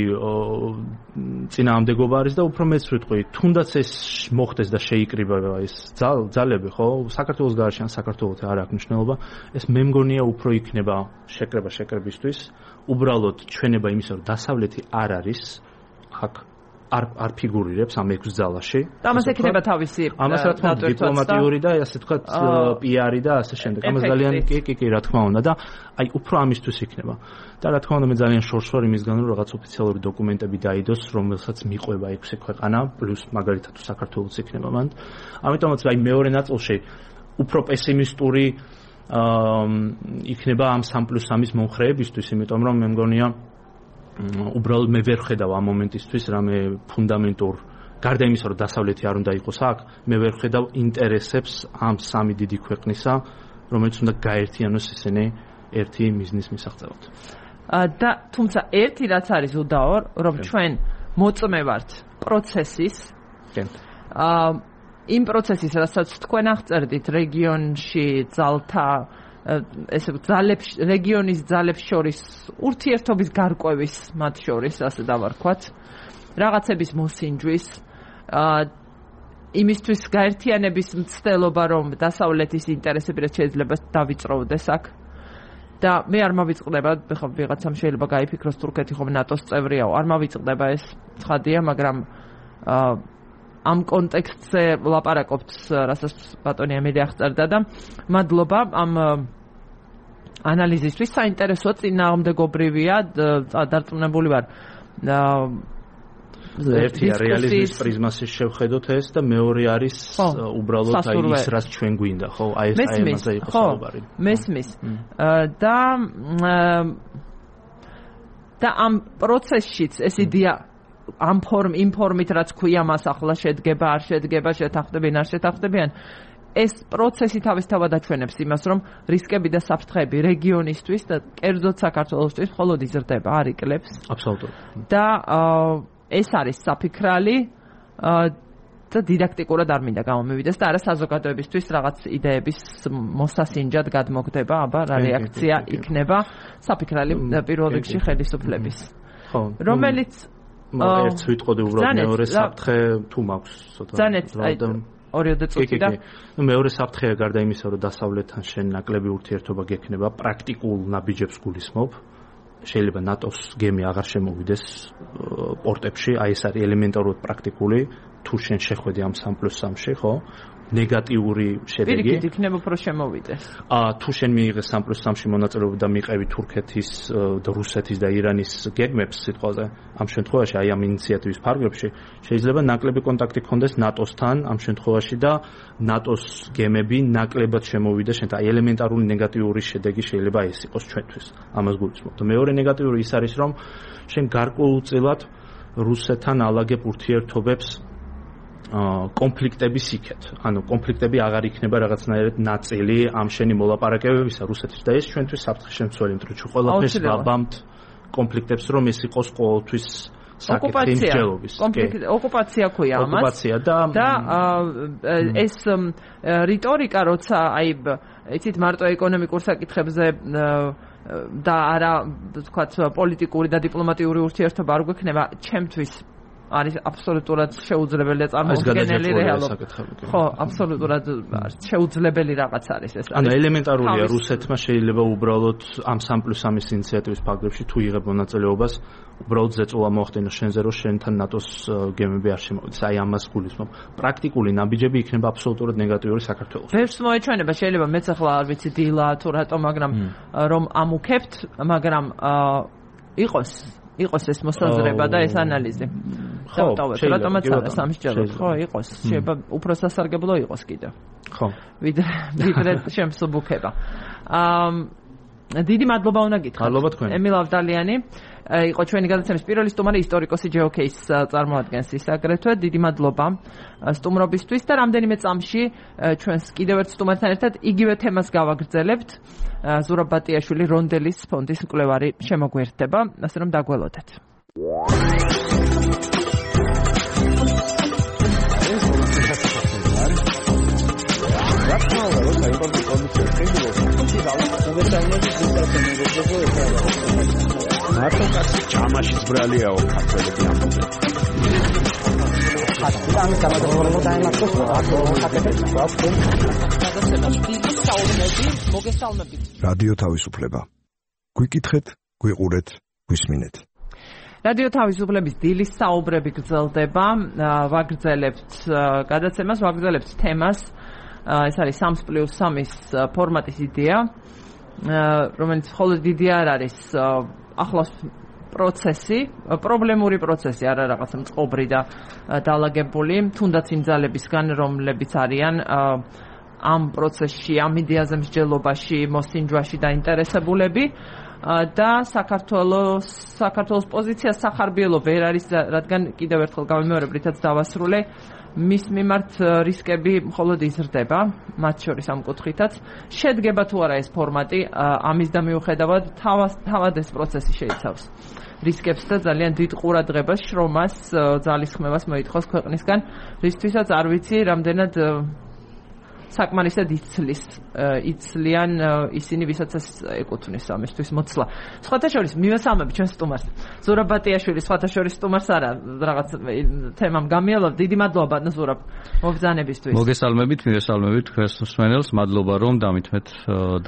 წინააღმდეგობა არის და უფრო მეც ვიტყვი, თუნდაც ეს მოხდეს და შეიკრიბება ეს ძალები, ხო? საქართველოს გარშემო ან საქართველოს არ აქვს მნიშვნელობა. ეს მე მგონია უფრო იქნება შეკრებისთვის, უბრალოდ ჩვენება იმისა, რომ დასავლეთი არ არის აქ არ ფიგურირებს ამ 6 ძალაში. ამას ექნება თავისი ამას რა თქმა უნდა დიპლომატიური და ასე თქვა პიარი და ასე შემდეგ. ამას ძალიან კი რა თქმა უნდა და აი უფრო ამისთვის იქნება. და რა თქმა უნდა მე ძალიან შორს ვარ იმისგან რომ რაღაც ოფიციალური დოკუმენტები დაიდოს, რომელსაც მიყვება 6 ქვეყანა პლუს მაგალითად საქართველოს იქნება მანდ. ამიტომაც აი მეორე ნაწილში უფრო პესიმისტური იქნება ამ 3+3-ის მომხრეებისთვის, იმიტომ რომ მე მგონია უბრალოდ მე ვერ ხედავ ამ მომენტისთვის რამე ფუნდამენტურ გარდა იმისა, რომ დასავლეთი არ უნდა იყოს აქ, მე ვერ ხედავ ინტერესებს ამ სამი დიდი ქვეყნისა, რომელიც უნდა გაერთიანოს ისინი ერთი მიზნის მისაღწევად. და თუმცა ერთი რაც არის უდაო, რომ ჩვენ მოწმე ვართ პროცესის. იმ პროცესის, რასაც თქვენ აღწერდით რეგიონში ძალთა ესე რეგიონის ძალებს შორის ურთიერთობის გარკვევის მათ შორის, ასე დავარქვათ, რაღაცების მოსინჯვის, იმისთვის გაერთიანების მცდელობა, რომ დასავლეთის ინტერესები რაც შეიძლება დავიწროვდეს აქ. და მე არ მოვიწყდება, ხა ვიღაცამ შეიძლება გაიფიქროს თურქეთი ხომ ნატოს წევრიაო, არ მოვიწყდება ეს ცხადია, მაგრამ ამ კონტექსტზე ვლაპარაკობთ, რასაც ბატონი ემილი აღწერდა და მადლობა ამ ანალიზისთვის. საინტერესო წინააღმდეგობრივია, დარწმუნებული ვარ. ერთია რეალიზმის პრიზმაში შევხედოთ ეს და მეორე არის უბრალოდ აი ის რაც ჩვენ გვინდა, ხო? აი ეს ამაზე იყო საუბარი. მესმის. და ამ პროცესშიც ეს იდეა ამ იმ ფორმით რაც ქვია მას ახლა შედგება, არ შედგება, შეთანხმდებიან, არ შეთანხმდებიან. ეს პროცესი თავისთავად აჩვენებს იმას, რომ რისკები და საფრთხეები რეგიონისთვის და კერძოდ საქართველოსთვის მხოლოდ იზრდება, არ იკლებს. აბსოლუტურად. და ეს არის საფიქრალი და დიდაქტიკურად არ მინდა გამომივიდეს და არა საზოგადოებისთვის რაღაც იდეების მოსასინჯად გადმოგდება, აბა რა რეაქცია იქნება საფიქრალი პირველ რიგში ხელისუფლების. ხო. რომელიც ერთ ვიტყოდი უბრალოდ მეორე საფრთხე თუ მაქვს ცოტა. ორიოდე წუთი და მეორე საფრთხეა გარდა იმისა, რომ დასავლეთთან შენ ნაკლები ურთიერთობა გექნება, პრაქტიკულ ნაბიჯებს გულისხმობ. შეიძლება ნატოს გემი აღარ შემოვიდეს პორტებში, აი ეს არის ელემენტარულად პრაქტიკული, თუ შენ შეხვედი ამ 3+3-ში, ხო? ნეგატიური შედეგი. პირიქით იქნება უფრო შემოვიდეს. თუ შენ მიიღე 3+3-ში მონაწილეობა და მიყევი თურქეთის და რუსეთის და ირანის გეგმებს სიტყვაზე, ამ შემთხვევაში აი ამ ინიციატივის ფარგლებში შეიძლება ნაკლები კონტაქტი გქონდეს ნატოსთან ამ შემთხვევაში და ნატოს გემები ნაკლებად შემოვიდეს შენ. აი ელემენტარული ნეგატიური შედეგი შეიძლება ეს იყოს ჩვენთვის. ამას გულისხმობ. და მეორე ნეგატიური ის არის, რომ შენ გარკვეულწილად რუსეთთან ალაგებ ურთიერთობებს კონფლიქტების იქეთ. ანუ კონფლიქტები აღარ იქნება რაღაცნაირად ნაწილი ამ შენი მოლაპარაკებებისა რუსეთის და ეს ჩვენთვის საფრთხე შემცველი, იმიტომ რომ ყველაფერს ვაბამთ კონფლიქტებს, რომ ეს იყოს ყოველთვის საკითხი მსჯელობის. ოკუპაცია ქვია ამას. ოკუპაცია და ეს რიტორიკა, როცა აი იცით მარტო ეკონომიკურ საკითხებზე და არა თქვათ პოლიტიკური და დიპლომატიური ურთიერთობა არ გვექნება, ჩემთვის არის აბსოლუტურად შეუძლებელი და წარმოუდგენელი რეალობა. ხო, აბსოლუტურად შეუძლებელი რაღაც არის ეს. ანუ ელემენტარულია რუსეთმა შეიძლება უბრალოდ ამ 3+3-ის ინიციატივის ფარგლებში თუ იღებ მონაწილეობას, უბრალოდ ზეწოლა მოახდინოს შენზე, რომ შენთან ნატოს გემები არ შემოვიდეს. აი ამას გულისხმობ. პრაქტიკული ნაბიჯები იქნება აბსოლუტურად ნეგატიური საქართველოს. ვერც მოეჩვენება, შეიძლება მეც ახლა არ ვიცი დილა თუ რატო, მაგრამ რომ ამუქებთ, მაგრამ იყოს ეს მოსაზრება და ეს ანალიზი. ხო, რატომაც არა სამსჯელოდ, ხო, იყოს. შეიძლება უფრო სასარგებლო იყოს კიდევ. ხო. ვიდრე შემსუბუქება. დიდი მადლობა უნდა გითხრათ. მადლობა თქვენ. ემილ ავდალიანი იყო ჩვენი გადაცემის პირველი სტუმარი, ისტორიკოსი GeoCase წარმოადგენს ის აგრეთვე. დიდი მადლობა სტუმრობისთვის და რამდენიმე წამში ჩვენს კიდევ ერთ სტუმართან ერთად იგივე თემას გავაგრძელებთ. ზურაბ ბატიაშვილი რონდელის ფონდის მკვლევარი შემოგვერდება, ასე რომ დაგველოდეთ. მარტო კაცი ჩამაშიც ბრალიაო ქართველები ამბობენ. რადიო თავისუფლება. გვიკითხეთ, გვიყურეთ, გვისმინეთ. რადიო თავისუფლების დილის საუბრები გრძელდება, ვაგრძელებთ გადაცემას, ვაგრძელებთ თემას. ეს არის 3+3-ის ფორმატის იდეა, რომელიც მხოლოდ იდეა არ არის ახლოს პროცესი, პრობლემური პროცესი, არა რაღაცა მწყობრი და დაალაგებული, თუნდაც იმ ძალებისგან, რომლებიც არიან ამ პროცესში, ამ იდეაზე მსჯელობაში, მოსინჯვაში დაინტერესებულები და საქართველოს პოზიცია სახარბიელო ვერ არის, რადგან კიდევ ერთხელ გავიმეორებ, რითაც დავასრულე, მის მიმართ რისკები მხოლოდ იზრდება, მათ შორის ამ კუთხითაც. შედგება თუ არა ეს ფორმატი, ამის და მიუხედავად თავად ეს პროცესი შეიცავს რისკებს და ძალიან დიდ ყურადღებას, შრომას, ძალისხმევას მოითხოვს ქვეყნისგან, რისთვისაც არ ვიცი, რამდენად საკმარისად იცლიან ისინი, ვისაც ეს ეკუთვნის ამისთვის მოცლა. სხვათა შორის მივესალმები ჩვენ სტუმარს. ზურაბ ბატიაშვილი სხვათა შორის სტუმარს არა, რაღაც თემამ გამიალავ. დიდი მადლობა ბატონ ზურაბ მობრძანებისთვის. მოგესალმებით, მივესალმებით თქვენს მსმენელს, მადლობა რომ დამითმეთ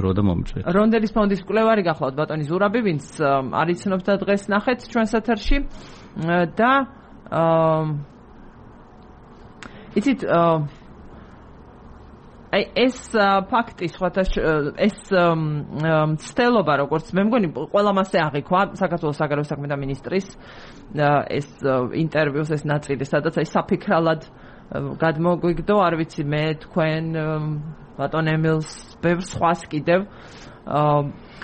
დრო და მომწვეთ. რონდელის ფონდის მკვლევარი გახლავთ ბატონი ზურაბი, ვინც არ იცნობს და დღეს ნახეთ ჩვენს ეთერში და იცით აი ეს ფაქტი სხვათა ეს ცდელობა როგორც მე მგონი ყველა მასე აღიქვა საქართველოს საგარეო საქმეთა მინისტრის ეს ინტერვიუს ეს ნაწილი სადაც აი საფიქრალად გადმოგვიგდო არ ვიცი მე თქვენ ბატონ ემილს ბევრ სხვას კიდევ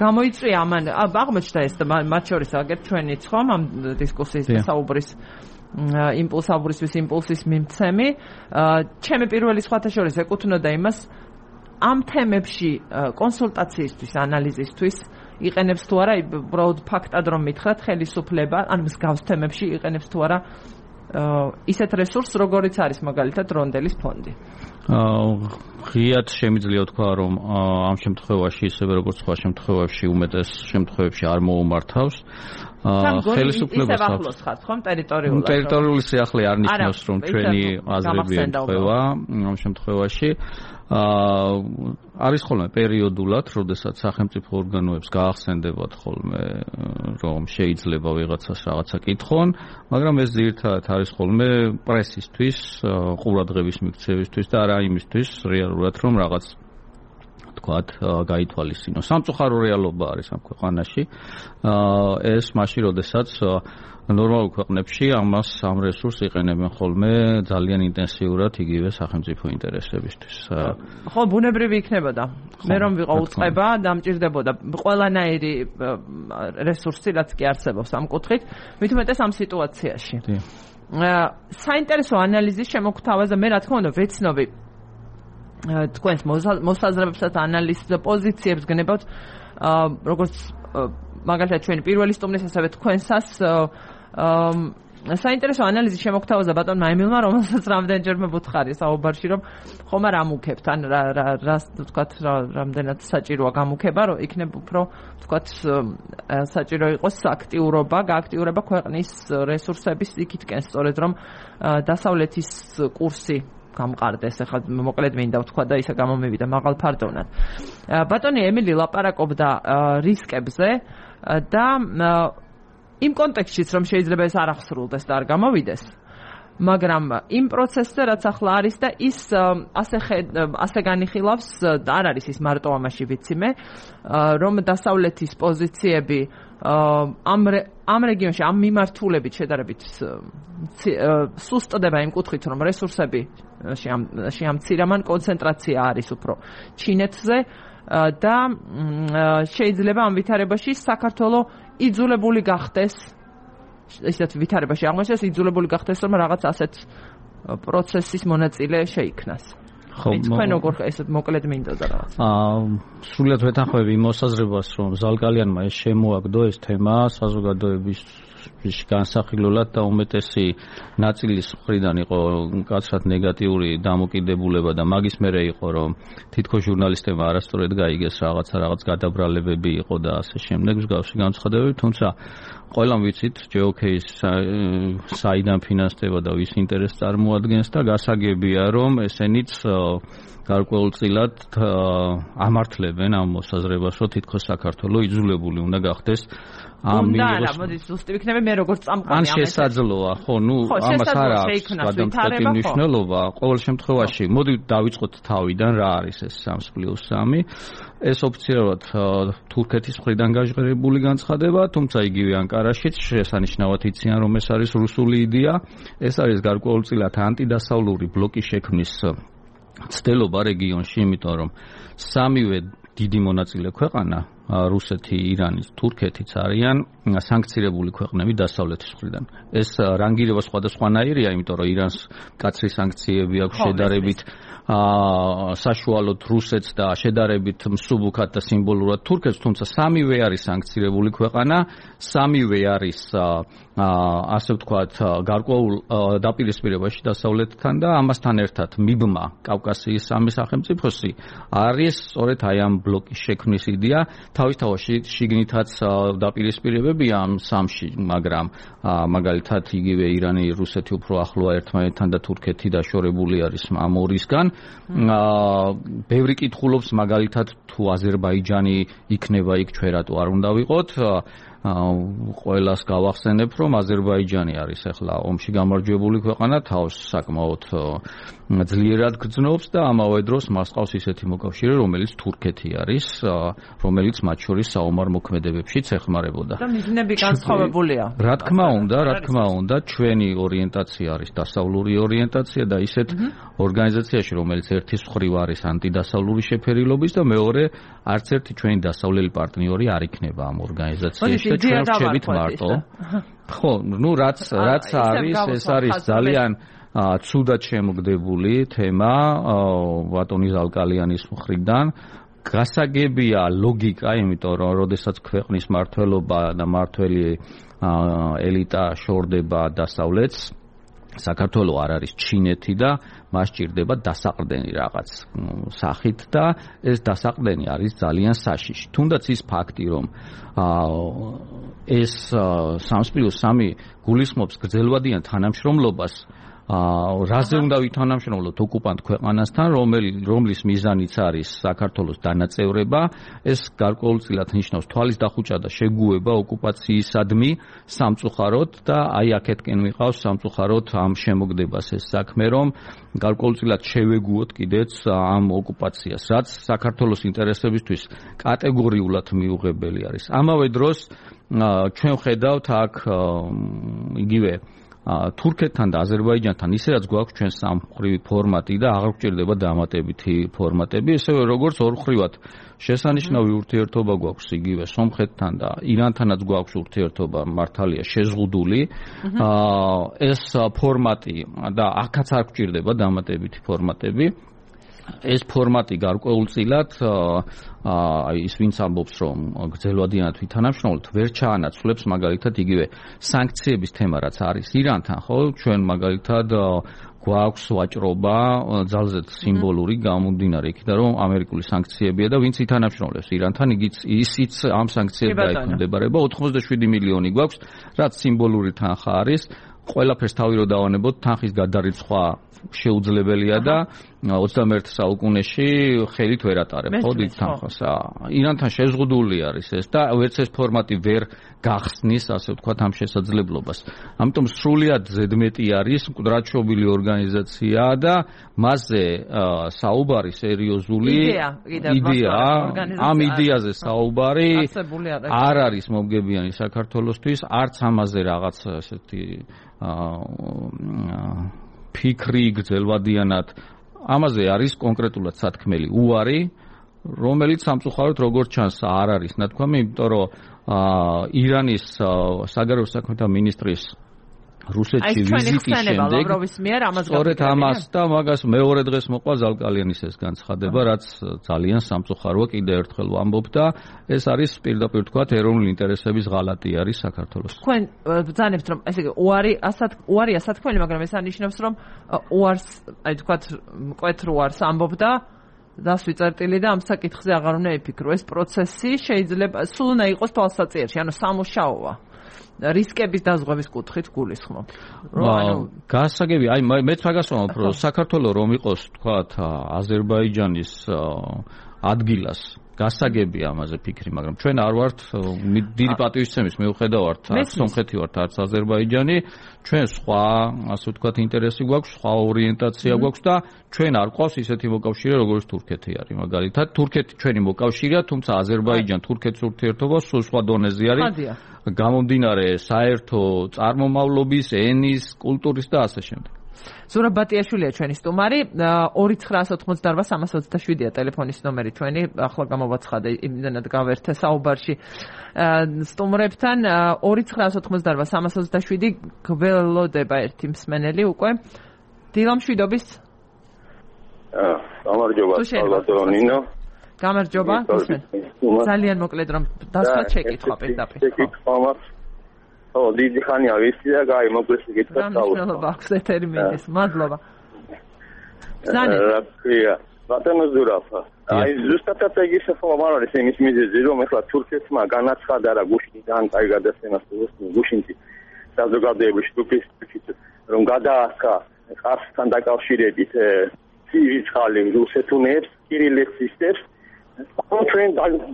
გამოიწვია ამან აღმოჩნდა ეს მათ შორის აგერ ჩვენიც ხომ ამ დისკუსიის და საუბრის იმპულსის მიმცემი. ჩემი პირველი სხვათა შორის ეკუთვნოდა იმას ამ თემებში კონსულტაციისთვის, ანალიზისთვის იყენებს თუ არა, უბრალოდ ფაქტად რომ მითხრათ, ხელისუფლება ან მსგავს თემებში იყენებს თუ არა ისეთ რესურსს, როგორიც არის მაგალითად რონდელის ფონდი. ღიად შემიძლია თქვა, რომ ამ შემთხვევაში ისევე როგორც სხვა შემთხვევებში უმეტეს შემთხვევებში არ მოუმართავს. ხელისუფლებას ახლოს ხართ ხომ ტერიტორიულად? ტერიტორიული სიახლე არ ნიშნავს, რომ ჩვენი აზრები ემთხვევა ამ შემთხვევაში. არის ხოლმე პერიოდულად, როდესაც სახელმწიფო ორგანოებს გაახსენდებათ ხოლმე, რომ შეიძლება ვიღაცას რაღაცა კითხონ, მაგრამ ეს ძირითადად არის ხოლმე პრესისთვის, ყურადღების მიქცევისთვის და არა იმისთვის რეალურად, რომ რაღაც თქვათ, გაითვალისწინოს. სამწუხარო რეალობა არის ამ ქვეყანაში. ეს მაშინ, როდესაც ნორმალურ ქვეყნებში ამ რესურსს იყენებენ ხოლმე ძალიან ინტენსიურად იგივე სახელმწიფო ინტერესებისთვის. ხო, ბუნებრივი იქნებოდა. მე რომ ვიყო უწყება, დამჭირდებოდა ყველანაირი რესურსი, რაც კი არსებობს ამ კუთხით, მით უმეტეს ამ სიტუაციაში. საინტერესო ანალიზის შემოგთავაზა, მე რა თქმა უნდა ვეცნობი თქვენს მოსაზრებებსა და ანალიზს პოზიციებს გნებავთ, როგორც მაგალითად ჩვენი პირველი სტუმრის, ასევე თქვენსას საინტერესო ანალიზი შემოგთავაზა ბატონმა ემილმა, რომელსაც რამდენჯერმე ვუთხარი საუბარში, რომ ხომ არ ამუქებთ, ან რა თქვათ, რამდენად საჭიროა გამუქება, რომ იქნებ უფრო თქვათ საჭირო იყოს აქტიურობა, გააქტიურება ქვეყნის რესურსების იქითკენ, სწორედ რომ დასავლეთის კურსი გამყარდეს, ახლა მოკლედ მინდა ვთქვა და ისე გამომივიდა მაღალ ფარდოვნად. ბატონი ემილი ლაპარაკობდა რისკებზე და იმ კონტექსტშიც, რომ შეიძლება ეს არ ახსრულდეს და არ გამოვიდეს, მაგრამ იმ პროცესზე, რაც ახლა არის და ის ასე განიხილავს, არ არის ის მარტო ამაში ვიცი მე, რომ დასავლეთის პოზიციები ამ რეგიონში, ამ მიმართულებით შედარებით სუსტდება იმ კუთხით, რომ რესურსები შეამცირამან კონცენტრაცია არის უფრო ჩინეთზე და შეიძლება ამ ვითარებაში საქართველო იძულებული გახდეს, ისეთ ვითარებაში აღმოჩნდეს იძულებული გახდეს, რომ რაღაც ასეთ პროცესის მონაწილე შეიქნას. თქვენ როგორ ესეთ მოკლედ მინდოდა რაღაც. სრულიად ვეთანხმები იმ მოსაზრებას, რომ ზალკალიანმა ეს შემოაგდო ეს თემა საზოგადოების განსახილველად და უმეტესი ნაწილის მხრიდან იყო კაცრად ნეგატიური დამოკიდებულება და მაგის მერე იყო, რომ თითქოს ჟურნალისტებმა არასწორად გაიგეს რაღაც გადაბრალებები იყო და ასე შემდეგ მსგავსი განცხადებები, თუმცა ყველამ ვიცით ჯეოკეის საიდან ფინანსდება და ვის ინტერესს წარმოადგენს და გასაგებია, რომ ესენიც გარკვეულწილად ამართლებენ ამ მოსაზრებას, რომ თითქოს საქართველო იძულებული უნდა გახდეს ამ მინიმუმ მოდი ზუსტი ვიქნები მე როგორც წამყვანი ამ შესაძლოა ხო ნუ ამას არ აქვს გადამწყვეტი მნიშვნელობა ყოველ შემთხვევაში მოდი დავიწყოთ თავიდან რა არის ეს 3+3 ეს ოფიციალურად თურქეთის მხრიდან გაჟღერებული განცხადება თუმცა იგივე ანკარაშიც შესანიშნავად იციან რომ ეს არის რუსული იდეა ეს არის გარკვეულწილად ანტიდასავლური ბლოკის შექმნის ცდელობა რეგიონში, იმიტომ რომ სამივე დიდი მონაწილე ქვეყანა რუსეთი, ირანი, თურქეთიც არიან სანქცირებული ქვეყნები დასავლეთის მხრიდან. ეს რანგირება სხვადასხვანაირია, იმიტომ რომ ირანს მკაცრი სანქციები აქვს შედარებით საშუალოდ რუსეთს და შედარებით მსუბუქად და სიმბოლურად თურქეთს, თუმცა სამივე არის სანქცირებული ქვეყანა, სამივე არის ასე ვთქვათ გარკვეულ დაპირისპირებაში დასავლეთთან და ამასთან ერთად მიბმა კავკასიის სამი სახელმწიფოსი არის სწორედ აი ამ ბლოკის შექმნის იდეა. თავისთავად შიგნითაც დაპირისპირებებია ამ სამში, მაგრამ მაგალითად იგივე ირანი, რუსეთი უფრო ახლოა ერთმანეთთან და თურქეთი დაშორებული არის ამ ორისგან. ბევრი კითხულობს მაგალითად თუ აზერბაიჯანი იქნება იქ, ჩვენ რატო არ უნდა ვიყოთ. ყველას გავახსენებ, რომ აზერბაიჯანი არის ახლა ომში გამარჯვებული ქვეყანა, თავს საკმაოდ ძლიერად გრძნობს და ამავე დროს მას ყავს ისეთი მოკავშირე, რომელიც თურქეთი არის, რომელიც მათ შორის საომარ მოქმედებებშიც ეხმარებოდა. და მიზნები განსხვავებულია. რა თქმა უნდა, ჩვენი ორიენტაცია არის დასავლური ორიენტაცია და ისეთ ორგანიზაციაში, რომელიც ერთის მხრივ არის ანტიდასავლური შეფერილობის და მეორე არც ერთი ჩვენი დასავლელი პარტნიორი არ იქნება ამ ორგანიზაციაში და ჩვენ ვrჩებით მარტო. ხო, რაც არის, ეს არის ძალიან ცუდად შემოგდებული თემა ბატონი ზალკალიანის მხრიდან. გასაგებია ლოგიკა, იმიტომ რომ როდესაც ქვეყნის მმართველობა და მმართველი ელიტა შორდება დასავლეთს, საქართველო არ არის ჩინეთი და მას ჭირდება დასაყრდენი რაღაც სახით და ეს დასაყრდენი არის ძალიან საშიში. თუნდაც ის ფაქტი, რომ ეს 3+3 გულისხმობს გრძელვადიან თანამშრომლობას, რაზე უნდა ვითანამშრომლოთ ოკუპანტ ქვეყანასთან, რომლის მიზანიც არის საქართველოს დანაწევრება, ეს გარკვეულწილად ნიშნავს თვალის დახუჭა და შეგუება ოკუპაციისადმი სამწუხაროდ და აი აქეთკენ მიყავს სამწუხაროდ ამ შემოგდებას ეს საქმე, რომ გარკვეულწილად შევეგუოთ კიდეც ამ ოკუპაციას, რაც საქართველოს ინტერესებისთვის კატეგორიულად მიუღებელი არის. ამავე დროს ჩვენ ხედავთ აქ იგივე თურქეთთან და აზერბაიჯანთან ისედაც გვაქვს ჩვენ სამმხრივი ფორმატი და აღარ გვჭირდება დამატებითი ფორმატები, ესევე როგორც ორმხრივად შესანიშნავი ურთიერთობა გვაქვს იგივე სომხეთთან და ირანთანაც გვაქვს ურთიერთობა მართალია შეზღუდული. ეს ფორმატი და აქაც არ გვჭირდება დამატებითი ფორმატები. ეს ფორმატი გარკვეულწილად ის ვინც ამბობს რომ გრძელვადიანად ვითანამშრომლოთ ვერ ჩაანაცვლებს მაგალითად იგივე სანქციების თემა რაც არის ირანთან, ხო? ჩვენ მაგალითად გვაქვს ვაჭრობა ძალზედ სიმბოლური გამომდინარე იქიდან რომ ამერიკული სანქციებია და ვინც ითანამშრომლებს ირანთან, ისიც ამ სანქციებთან ექვემდებარება. 87 მილიონი გვაქვს, რაც სიმბოლური თანხა არის. ყველაფერს თავი რო დავანებოთ, თანხის გადარიცხვა შეუძლებელია და 21 საუკუნეში ხელით ვერ ატარებ ხო დიდ თანხას. ირანთან შეზღუდული არის ეს და ვერც ეს ფორმატი ვერ გახსნის, ასე ვთქვათ, ამ შესაძლებლობას. ამიტომ სრულიად ზედმეტი არის მკვდრადშობილი ორგანიზაცია და მასზე საუბარი სერიოზული იდეა, ამ იდეაზე საუბარი არ არის მომგებიანი საქართველოსთვის, არც ამაზე რაღაც ესეთი ფიქრი გრძელვადიანად ამაზე არის კონკრეტულად სათქმელი უარი, რომელიც სამწუხაროდ როგორც ჩანს არ არის ნათქვამი, იმიტომ რომ ირანის საგარეო საქმეთა მინისტრის რუსეთში ვიზიტის შემდეგ სწორედ ამას და მაგას მეორე დღეს მოყვა ზალკალიანის ეს განცხადება, რაც ძალიან სამწუხაროა, კიდევ ერთხელ ვამბობ და ეს არის პირდაპირ თქვათ ეროვნული ინტერესების ღალატი არის საქართველოს. თქვენ ბრძანებთ რომ ესე იგი უარია სათქმელი, მაგრამ ეს ანიშნავს რომ უარს, აი თქვათ მკვეთრ უარს ამბობდა დასვი წერტილი და ამ საკითხზე აღარ უნდა იფიქრო. ეს პროცესი შეიძლება სულ უნდა იყოს თვალსაჩინოში, ანუ სამუშაოა. რისკების დაზღვევის კუთხით გულისხმობ. გასაგები, აი მეც მაგას ვამბობ, რომ საქართველოს რომ იყოს თქვათ აზერბაიჯანის ადგილას გასაგები ამაზე ფიქრი, მაგრამ ჩვენ არ ვართ დიდი პატივისცემის მიუხედავად, არც სომხეთი ვართ, არც აზერბაიჯანი, ჩვენ სხვა, ასე ვთქვათ, ინტერესი გვაქვს, სხვა ორიენტაცია გვაქვს და ჩვენ არ გვყავს ისეთი მოკავშირე, როგორც თურქეთი არის. მაგალითად, თურქეთი ჩვენი მოკავშირეა, თუმცა აზერბაიჯან-თურქეთის ურთიერთობა სულ სხვა დონეზე არის. გამომდინარე საერთო წარმომავლობის, ენის, კულტურის და ასე შემდეგ. ზურაბ ბატიაშვილია ჩვენი სტუმარი, 2988-327-ია ტელეფონის ნომერი ჩვენი, ახლა გამოვაცხადე, იმდენად გავერთე საუბარში სტუმრებთან, 2988-327 გველოდება ერთი მსმენელი უკვე. დილა მშვიდობის. გამარჯობა, სალვადორინო. გამარჯობა, ძალიან მოკლედ რომ დასვათ შეკითხვა პირდაპირ. ო, დიდი ხანია ვიცი და გაი მოკლედ შეკითხვა დავუშვი. მადლობა, აქვს ეთერი მიდის. მადლობა. ზანე. ბატონო ზურაფა. აი ზუსტად ეგის ხომარის იმის მიზეზი რომ ახლა თურქეთმა განაცხადა რა გუშინიდან კაი გადასცემას გუშინში საზოგადოებრივი ჯგუფის რომ გადაასხა ყარსთან დაკავშირებით ცივი რუსეთუნებს, კირილექსისტებს, ჩვენ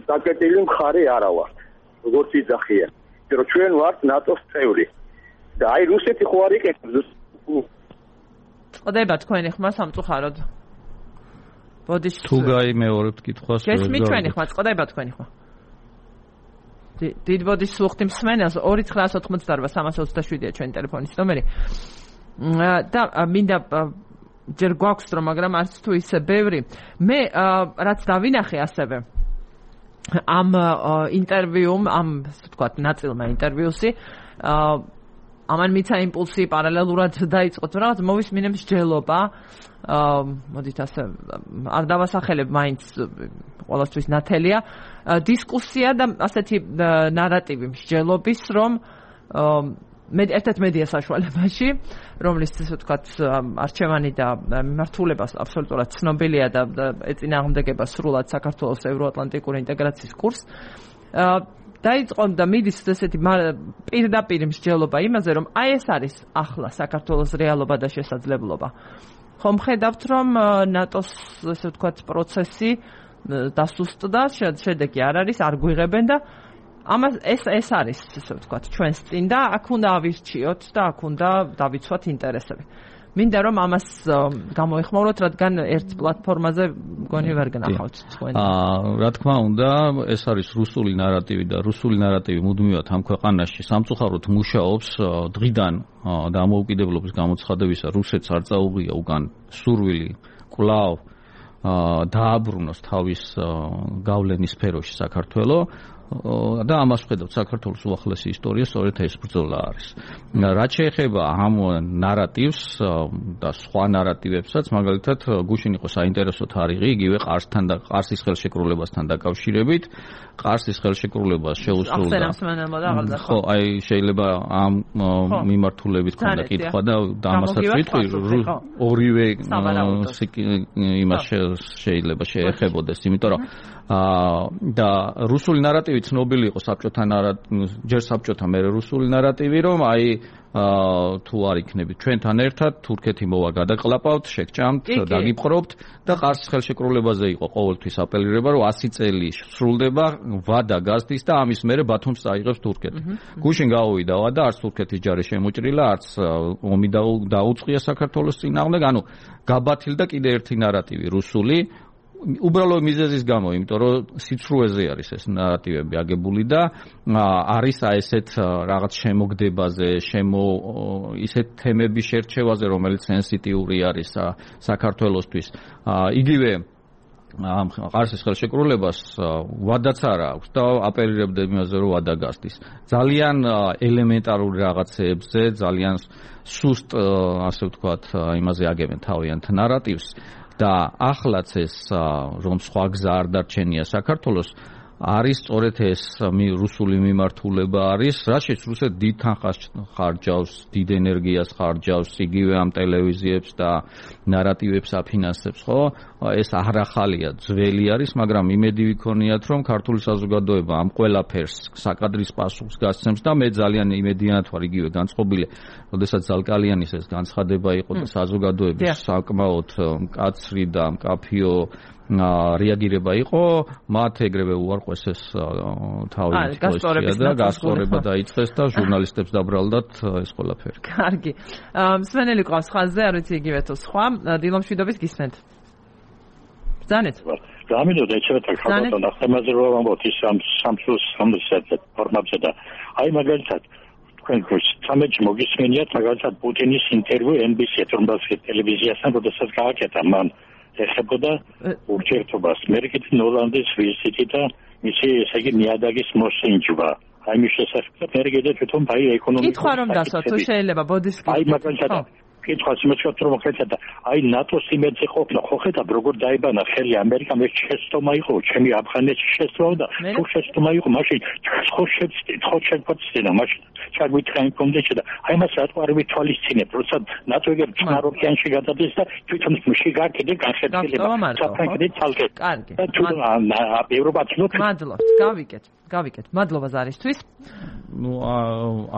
დაკეტილი მხარე არა ვართ. როგორც იძახიან, რომ ჩვენ ვართ ნატოს წევრი. და აი რუსეთი ხო არ იკეთებს. წდება თქვენი ხმა სამწუხაროდ. ბოდიშ თუ გაიმეორებთ კითხვას. გესმით ჩვენი ხმა, წდება თქვენი ხმა. დიდ ბოდიშ სუხთი მსმენელს 2988-327-ია ჩვენი ტელეფონის ნომერი. და მინდა ჯერ გვაქვს რომ მაგრამ არც თუ ისე ბევრი მე რაც დავინახე ასევე ამ ინტერვიუმ ამ ვთქვათ ნაწილმა ინტერვიუსი ამან მიცა იმპულსი პარალელურად დაიწყო თუ რაღაც მოვისმინებს ჯელობა მოდით ასე არ დავასახელებ მაინც ყოველთვის ნათელია დისკუსია და ასეთი ნარატივი მსჯელობის რომ ერთ-ერთ მედია საშუალებაში, რომლის ესე ვთქვათ, არჩევანი და მიმართულება აბსოლუტურად ცნობილია და ეწინააღმდეგება სრულად საქართველოს ევროატლანტიკური ინტეგრაციის კურსს. დაიწყო და მიდის ესეთი პირდაპირ მსჯელობა იმაზე, რომ აი ეს არის ახლა საქართველოს რეალობა და შესაძლებლობა. ხომ ხედავთ, რომ ნატოს ესე ვთქვათ პროცესი დასუსტდა, შედეგი არ არის, არ გვიღებენ და ამას ეს არის ესე ვთქვათ ჩვენს წინ და აქ უნდა ავირჩიოთ და აქ უნდა დავიცვათ ინტერესები. მინდა რომ ამას გამოეხმაუროთ, რადგან ერთ პლატფორმაზე მგონი ვერ გნახავთ თქვენ. რა თქმა უნდა, ეს არის რუსული ნარატივი და რუსული ნარატივი მუდმივად ამ ქვეყანაში სამწუხაროდ მუშაობს დღიდან დამოუკიდებლობის გამოცხადებისა რუსეთს არ წაუღია უკან სურვილი კვლავ დააბრუნოს თავის გავლენის სფეროში საქართველოს და ამას ხედავთ საქართველოს უახლესი ისტორია სწორედ ეს ბრძოლა არის. რაც შეეხება ამ ნარატივს და სხვა ნარატივებსაც, მაგალითად, გუშინ იყო საინტერესო თარიღი იგივე ყარსის ხელშეკრულებასთან დაკავშირებით. ყარსის ხელშეკრულებას შეუსრულდა. ხო, აი შეიძლება ამ მიმართულებით ქონდა კითხვა და ამასაც ვიტყვი ორივე იმას შეიძლება შეეხებოდეს, იმიტომ რომ და რუსული ნარატივი ცნობილი იყო საბჭოთა ჯერ საბჭოთა მერე რუსული ნარატივი რომ აი თუ არ იქნებით ჩვენთან ერთად თურქეთი მოვა გადაყლაპავთ შეგჭამთ დაგიპყრობთ და ყარსის ხელშეკრულებაზე იყო ყოველთვის აპელირება რომ 100 წელი სრულდება ვადა გაზდის და ამის მერე ბათუმს წაიღებს თურქეთი. გუშინ გავუვიდა ვადა არც თურქეთის ჯარი შემოჭრილა არც ომი დაუწყია საქართველოს წინააღმდეგ ანუ გაბათილდა კიდე ერთი ნარატივი რუსული უბრალოდ მიზეზის გამო, იმიტომ რომ სიცრუეზე არის ეს ნარატივები აგებული და არის ესეთ რაღაც შემოგდებაზე, ისეთ თემების შერჩევაზე, რომელიც სენსიტიური არის საქართველოსთვის. იგივე ყარსის ხელშეკრულებას ვადაც არ აქვს და აპელირებდა იმაზე, რომ ვადა გასდის. ძალიან ელემენტარული რაღაცეებზე, ძალიან სუსტ, ასე ვთქვათ, იმაზე აგებენ თავიანთ ნარატივს. და ახლაც ეს რომ სხვა გზა არ დარჩენია საქართველოს არის სწორედ ეს რუსული მიმართულება არის, რაშიც რუსეთი დიდ თანხას ხარჯავს, დიდ ენერგიას ხარჯავს, იგივე ამ ტელევიზიებს და ნარატივებს აფინანსებს, ხო? ეს არახალია, ძველი არის, მაგრამ იმედი ვიქონიათ, რომ ქართული საზოგადოება ამ ყველაფერს საკადრის პასუხს გასცემს და მე ძალიან იმედიანად ვარ იგივე განწყობილი, როდესაც ზალკალიანის ეს განცხადება იყო და საზოგადოების საკმაოდ მკაცრი და მკაფიო რეაგირება იყო, მათ ეგრევე უარყვეს ეს თავის პოზიცია და გასწორება დაიწყეს და ჟურნალისტებს დაბრალდათ ეს ყველაფერი. კარგი. მსმენელი ყავს ხაზზე, არ ვიცი იგივე თუ სხვა, დილომშვიდობის გისმენთ. ბრძანეთ. გამიდოდა ეჩვეთა ხალხთან ახალმაზროვან ამბობთ ის სამსუს ფორმებზე და აი მაგალითად თქვენ სამეჯ მოგისმენიათ მაგალითად პუტინის ინტერვიუ NBC-ს რომლის ტელევიზიასთან როდესაც გააკეთა მან ეხებოდა ურთიერთობას ამერიკის ნოლანდის ვიზიტი და მისი ესე იგი ნიადაგის მოსინჯვა აი მის შესახებ ამერიკა თვითონ აი ეკონომიკა კითხვა რომ დასვა თუ შეიძლება ბოდიშკი აი მაგალითად კითხვა შემოჩვენოთ რომ ხედა აი ნატოს იმედზე ყოფნა ხო ხედა როგორ დაიბანა ხელი ამერიკამ ეს შეცდომა იყო ჩემი აფხანეთში შეცდომა და თუ შეცდომა იყო მაშინ ხო შეცდით ხო შეგვეცდინა მაშინ ჩაგვითხარი კონდეჩა და აი მას რატო არ ვითვალისწინებ როცა ნატო ეგ წყნარ ოკეანეში გადადის და თვითონ მში გაკეთე განხეთქილება საფრანგეთი თალკე კარგი და თუ ევროპაც ნოთ მადლობთ გავიკეთ მადლობა ზარისთვის ну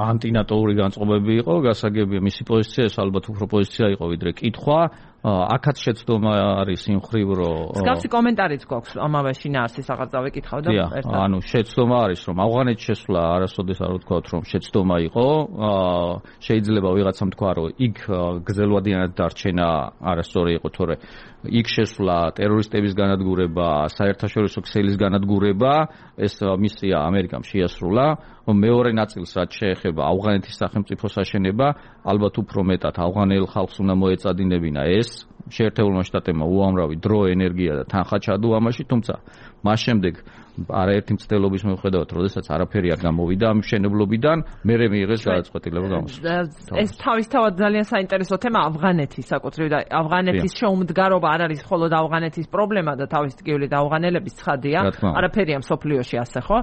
ანტინატოური განწყობები იყო გასაგებია მისი პოზიცია ეს ალბათ უფრო პოზიცია იყო ვიდრე კითხვა აქაც შეცდომა არის იმ ხრივ რომ მსგავსი კომენტარიც გვაქვს ამავე შინაარსის აღარ დავეკითხავ და ერთად ანუ შეცდომა არის რომ ავღანეთში შესვლა არასოდეს არ ვთქვათ რომ შეცდომა იყო შეიძლება ვიღაცამ თქვა რომ იქ გრძელვადიანად დარჩენა არასწორი იყო თორე იქ შესვლა ტერორისტების განადგურება საერთაშორისო ქსელის განადგურება ეს მისია ამერიკამ შეასრულა მეორე ნაწილს რაც შეეხება ავღანეთის სახელმწიფოს აშენება ალბათ უფრო მეტად ავღანელ ხალხს უნდა მოეწადინებინა ეს შეერთებულმა შტატებმა უამრავი დრო ენერგია და თანხა ჩადო ამაში თუმცა მას შემდეგ არაერთი მცდელობის მიუხედავად როდესაც არაფერი არ გამოვიდა ამ მშენებლობიდან მერე მიიღეს გადაწყვეტილება გამოსვლა ეს თავისთავად ძალიან საინტერესო თემა ავღანეთი საკუთრივ და ავღანეთის შეუმდგარობა არ არის მხოლოდ ავღანეთის პრობლემა და თავის ტკივილი და ავღანელების ცხადია არაფერია მსოფლიოში ასე ხო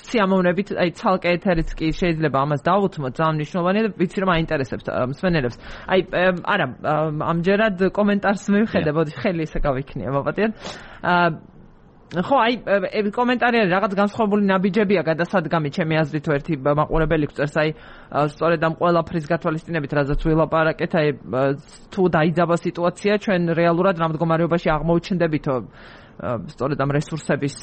სიამოვნებით აი ცალკე ეთერიც კი შეიძლება ამას დავუთმოთ ძალიან მნიშვნელოვანია და ვიცი რომ აინტერესებს მსმენელებს აი არა ამჯერად კომენტარს მივხედე ბოდი ხელი ისე გავიქნია მოპატიეთ ხო აი კომენტარი არის რაღაც განსხვავებული ნაბიჯებია გადასადგამი ჩემი აზრით ერთი მაყურებელი გწერს აი სწორედ ამ ყველაფრის გათვალისწინებით რაზეც ვილაპარაკეთ აი თუ დაიძაბა სიტუაცია ჩვენ რეალურად რამ მდგომარეობაში აღმოჩნდებითო სწორედ ამ რესურსების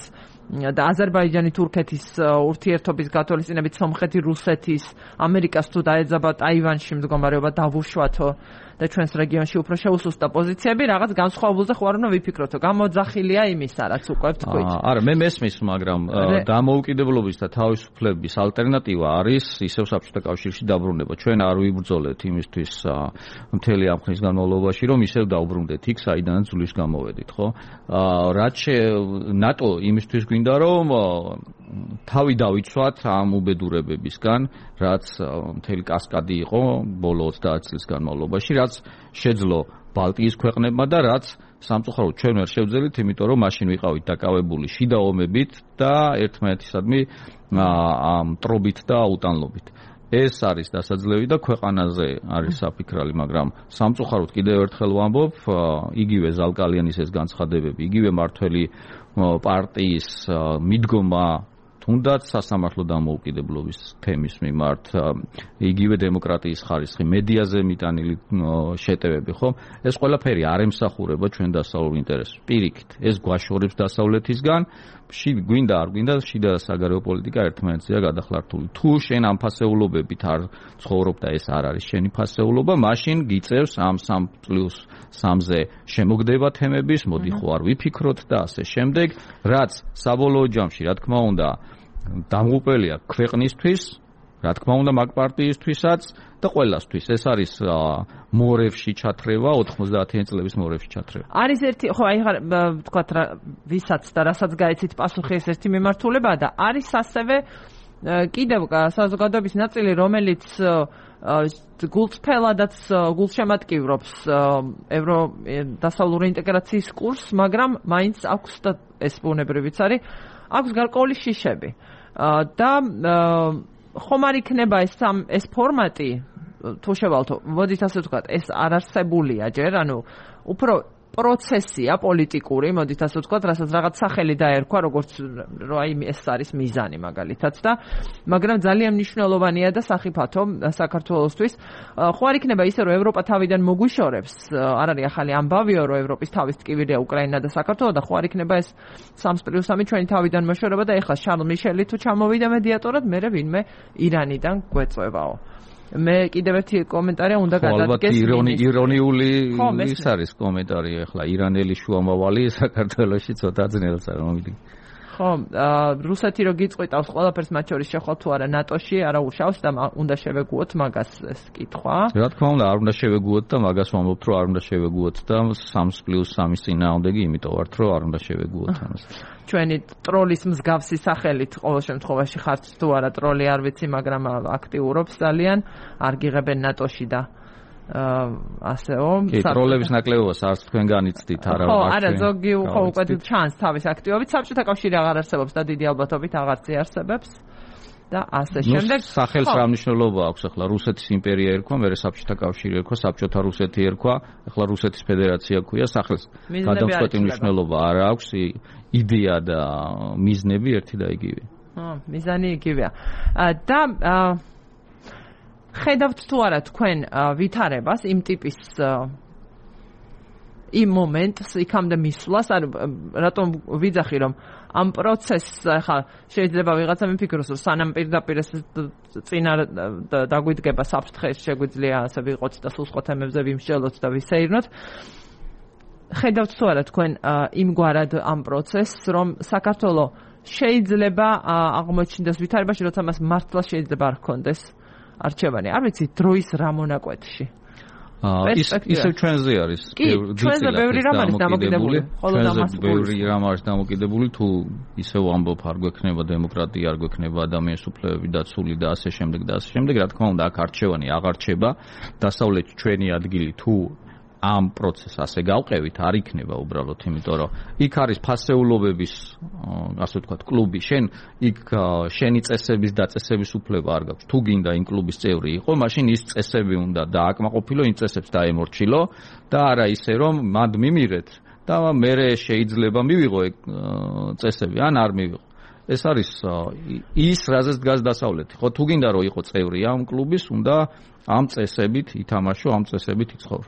და აზერბაიჯანი თურქეთის ურთიერთობის გათვალისწინებით სომხეთი რუსეთის ამერიკას თუ დაეძაბა ტაივანში მდგომარეობა დავუშვათო და ჩვენს რეგიონში უფრო შეუსუსტა პოზიციები რაღაც განსხვავებულზე ხო არ უნდა ვიფიქროთო გამოძახილია იმისა რაც უკვე ვთქვით არა მე მესმის მაგრამ დამოუკიდებლობის და თავისუფლების ალტერნატივა არის ისევ საბჭოთა კავშირში დაბრუნება ჩვენ არ ვიბრძოლეთ იმისთვის მთელი ამ ხნის განმავლობაში რომ ისევ დავბრუნდეთ იქ საიდანაც ძვლის გამოვედით ხო რაც ნატო იმისთვის გვინდა რომ თავი დავიცვათ ამ უბედურებებისგან რაც მთელი კასკადი იყო ბოლო 30 წლის განმავლობაში რაც შეძლო ბალტიის ქვეყნებმა და რაც სამწუხაროდ ჩვენ ვერ შევძელით იმიტომ რომ მაშინ ვიყავით დაკავებული შიდა ომებით და ერთმანეთისადმი მტრობით და აუტანლობით ეს არის დასაძლევი და ქვეყანაზე არის საფიქრალი მაგრამ სამწუხაროდ კიდევ ერთხელ ვამბობ იგივე ზალკალიანის ეს განცხადებები იგივე მართველი პარტიის მიდგომა თუნდაც სასამართლო დამოუკიდებლობის თემის მიმართ იგივე დემოკრატიის ხარისხი მედიაზე მიტანილი შეტევები ხო ეს ყველაფერი არ ემსახურება ჩვენ დასავლურ ინტერესს პირიქით ეს გვაშორებს დასავლეთისგან გვინდა არ გვინდა შიდა საგარეო პოლიტიკა ერთმანეთზეა გადახლართული თუ შენ ამ ფასეულობებით არ ცხოვრობ და ეს არ არის შენი ფასეულობა მაშინ გიწევს ამ 3+3-ზე შემოგდება თემების მოდი ხო არ ვიფიქროთ და ასე შემდეგ რაც საბოლოო ჯამში რა თქმა უნდა დამღუპელია ქვეყნისთვის რა თქმა უნდა მაგ პარტიისთვისაც და ყველასთვის ეს არის მორევში ჩათრევა 90-იან წლების მორევში ჩათრევა არის ერთი ხო აი ვთქვათ ვისაც და რასაც გაეცით პასუხი ეს ერთი მიმართულება და არის ასევე კიდევ საზოგადოების ნაწილი რომელიც გულწრფელადაც გულშემატკივრობს დასავლური ინტეგრაციის კურსს მაგრამ მაინც აქვს და ეს ბუნებრივიც არის აქვს გარკვეული შიშები და ხომ არ იქნება ეს ფორმატი თუ შევალთო მოდით ასე ვთქვათ ეს არ არსებულია ჯერ ანუ უფრო პროცესია პოლიტიკური მოდით ასე ვთქვათ რასაც რაღაც სახელი დაერქვა როგორც რომ აი ეს არის მიზანი მაგალითად და მაგრამ ძალიან მნიშვნელოვანია და სახიფათო საქართველოსთვის ხო არ იქნება ისე რომ ევროპა თავიდან მოგვიშორებს არ არის ახალი ამბავიო რომ ევროპის თავის ტკივილია უკრაინა და საქართველო და ხო არ იქნება ეს 3+3 ჩვენი თავიდან მოშორება და ეხლა შარლ მიშელი თუ ჩამოვიდა მედიატორად მე ვინმე ირანიდან გვეწევაო მე კიდევ ერთი კომენტარია უნდა გადადგეს ირონიული ის არის კომენტარი ახლა ირანელი შუამავალი საქართველოში ცოტა ძნელს არ მომიდგა ხო, რუსეთი რო გიწყვიტავს ყველაფერს მათ შორის შეხვალ თუ არა ნატოში, არა უშავს და უნდა შევეგუოთ მაგას ეს კითხვა. რა თქმა უნდა, არ უნდა შევეგუოთ და მაგას ვამბობთ, რომ არ უნდა შევეგუოთ და 3+3-ის წინააღმდეგი, იმიტომ ვართ, რომ არ უნდა შევეგუოთ ამას. ჩვენი ტროლის მსგავსი სახელით ყოველ შემთხვევაში ხართ თუ არა ტროლი არ ვიცი, მაგრამ აქტიურობს ძალიან, არ გიღებენ ნატოში და ასეო. კი, ტროლების ნაკლებობას არც თქვენ განიცდით, არა ხო, არა, ზოგი ხო უკვე ჩანს თავის აქტივობით, საბჭოთა კავშირი აღარ არსებობს და დიდი ალბათობით აღარც იარსებებს. და ასე შემდეგ სახელს რა მნიშვნელობა აქვს ახლა რუსეთის იმპერია ერქვა, მერე საბჭოთა კავშირი ერქვა, საბჭოთა რუსეთი ერქვა, ახლა რუსეთის ფედერაცია ქვია, სახელს გადამწყვეტი მნიშვნელობა არ აქვს, იდეა და მიზნები ერთი და იგივე. მიზანი იგივეა. და ხედავთ თუ არა თქვენ ვითარებას იმ ტიპის იმ მომენტს იქამდე მისვლას, არ რატომ ვიძახი რომ ამ პროცესს ახლა შეიძლება ვიღაცა მიფიქროს რომ სანამ პირდაპირ წინა დაგვიდგება საფრთხეს შეგვიძლია ასე ვიყოთ და სულ სხვა თემებზე ვიმსჯელოთ და ვისეირნოთ. ხედავთ თუ არა თქვენ იმგვარად ამ პროცესს რომ საქართველოს შეიძლება აღმოჩნდეს ვითარებაში, როცა მას მართლა შეიძლება არ ჰქონდეს არჩევანი. არ ვიცი დროის რა მონაკვეთში. ისევ ჩვენზე არის. ჩვენზე ბევრი რამ არის დამოკიდებული. ბევრი რამ არის დამოკიდებული, თუ ისევ ამბობ არ გვექნება დემოკრატია, არ გვექნება ადამიანის უფლებები დაცული და ასე შემდეგ და ასე შემდეგ, რა თქმა უნდა, აქ არჩევანი აღარ რჩება. დასავლეთი ჩვენი ადგილი თუ ამ პროცესს ასე გავყევით, არ იქნება უბრალოდ, იმიტომ რომ იქ არის ფასეულობების, ასე ვთქვათ, კლუბი. შენ იქ შენი წესების დაწესების უფლება არ გაქვს. თუ გინდა იმ კლუბის წევრი იყო, მაშინ ის წესები უნდა დააკმაყოფილო, იმ წესებს დაემორჩილო და არა ისე რომ მად მიმიღეთ და მერე შეიძლება მივიღო წესები, ან არ მივიღო. ეს არის ის, რაზეც დგას დასავლეთი. ხო, თუ გინდა რომ იყო წევრი ამ კლუბის, უნდა ამ წესებით ითამაშო, ამ წესებით იცხოვრო.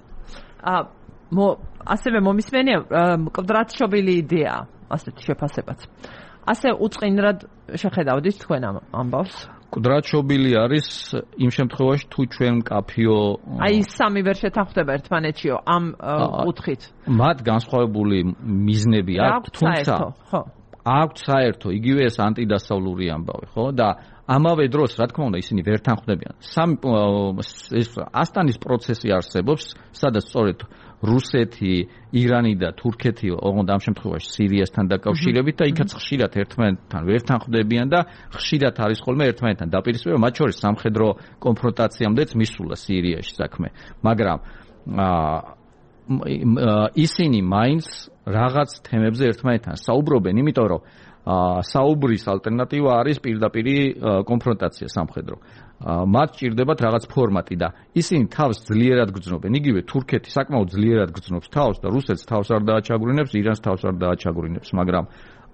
ასევე მომისმენია მკვდრადშობილი იდეა, ასეთი შეფასებაც. ასე უწყინრად შეხედავდით თქვენ ამ ამბავს? მკვდრადშობილი არის იმ შემთხვევაში, თუ ჩვენ მკაფიო აი სამი ვერ შეთანხმდება ერთმანეთშიო ამ კუთხით. მათ განსხვავებული მიზნები აქვს, თუმცა აქვს საერთო, იგივე ეს ანტიდასავლური ამბავი, ხო? და ამავე დროს, რა თქმა უნდა, ისინი ვერ თანხმდებიან. ეს ასტანის პროცესი არსებობს, სადაც სწორედ რუსეთი, ირანი და თურქეთი, ოღონდ ამ შემთხვევაში სირიასთან დაკავშირებით და იქაც ხშირად ერთმანეთთან ვერ თანხმდებიან და ხშირად არის ხოლმე ერთმანეთთან დაპირისპირება, მათ შორის სამხედრო კონფრონტაციამდეც მისულა სირიაში საქმე. მაგრამ ისინი მაინც რაღაც თემებზე ერთმანეთთან საუბრობენ, იმიტომ რომ საუბრის ალტერნატივა არის პირდაპირი კონფრონტაცია სამხედრო. მათ ჭირდებათ რაღაც ფორმატი და ისინი თავს ძლიერად გრძნობენ. იგივე თურქეთი საკმაოდ ძლიერად გრძნობს თავს და რუსეთს თავს არ დააჩაგვრინებს, ირანს თავს არ დააჩაგვრინებს, მაგრამ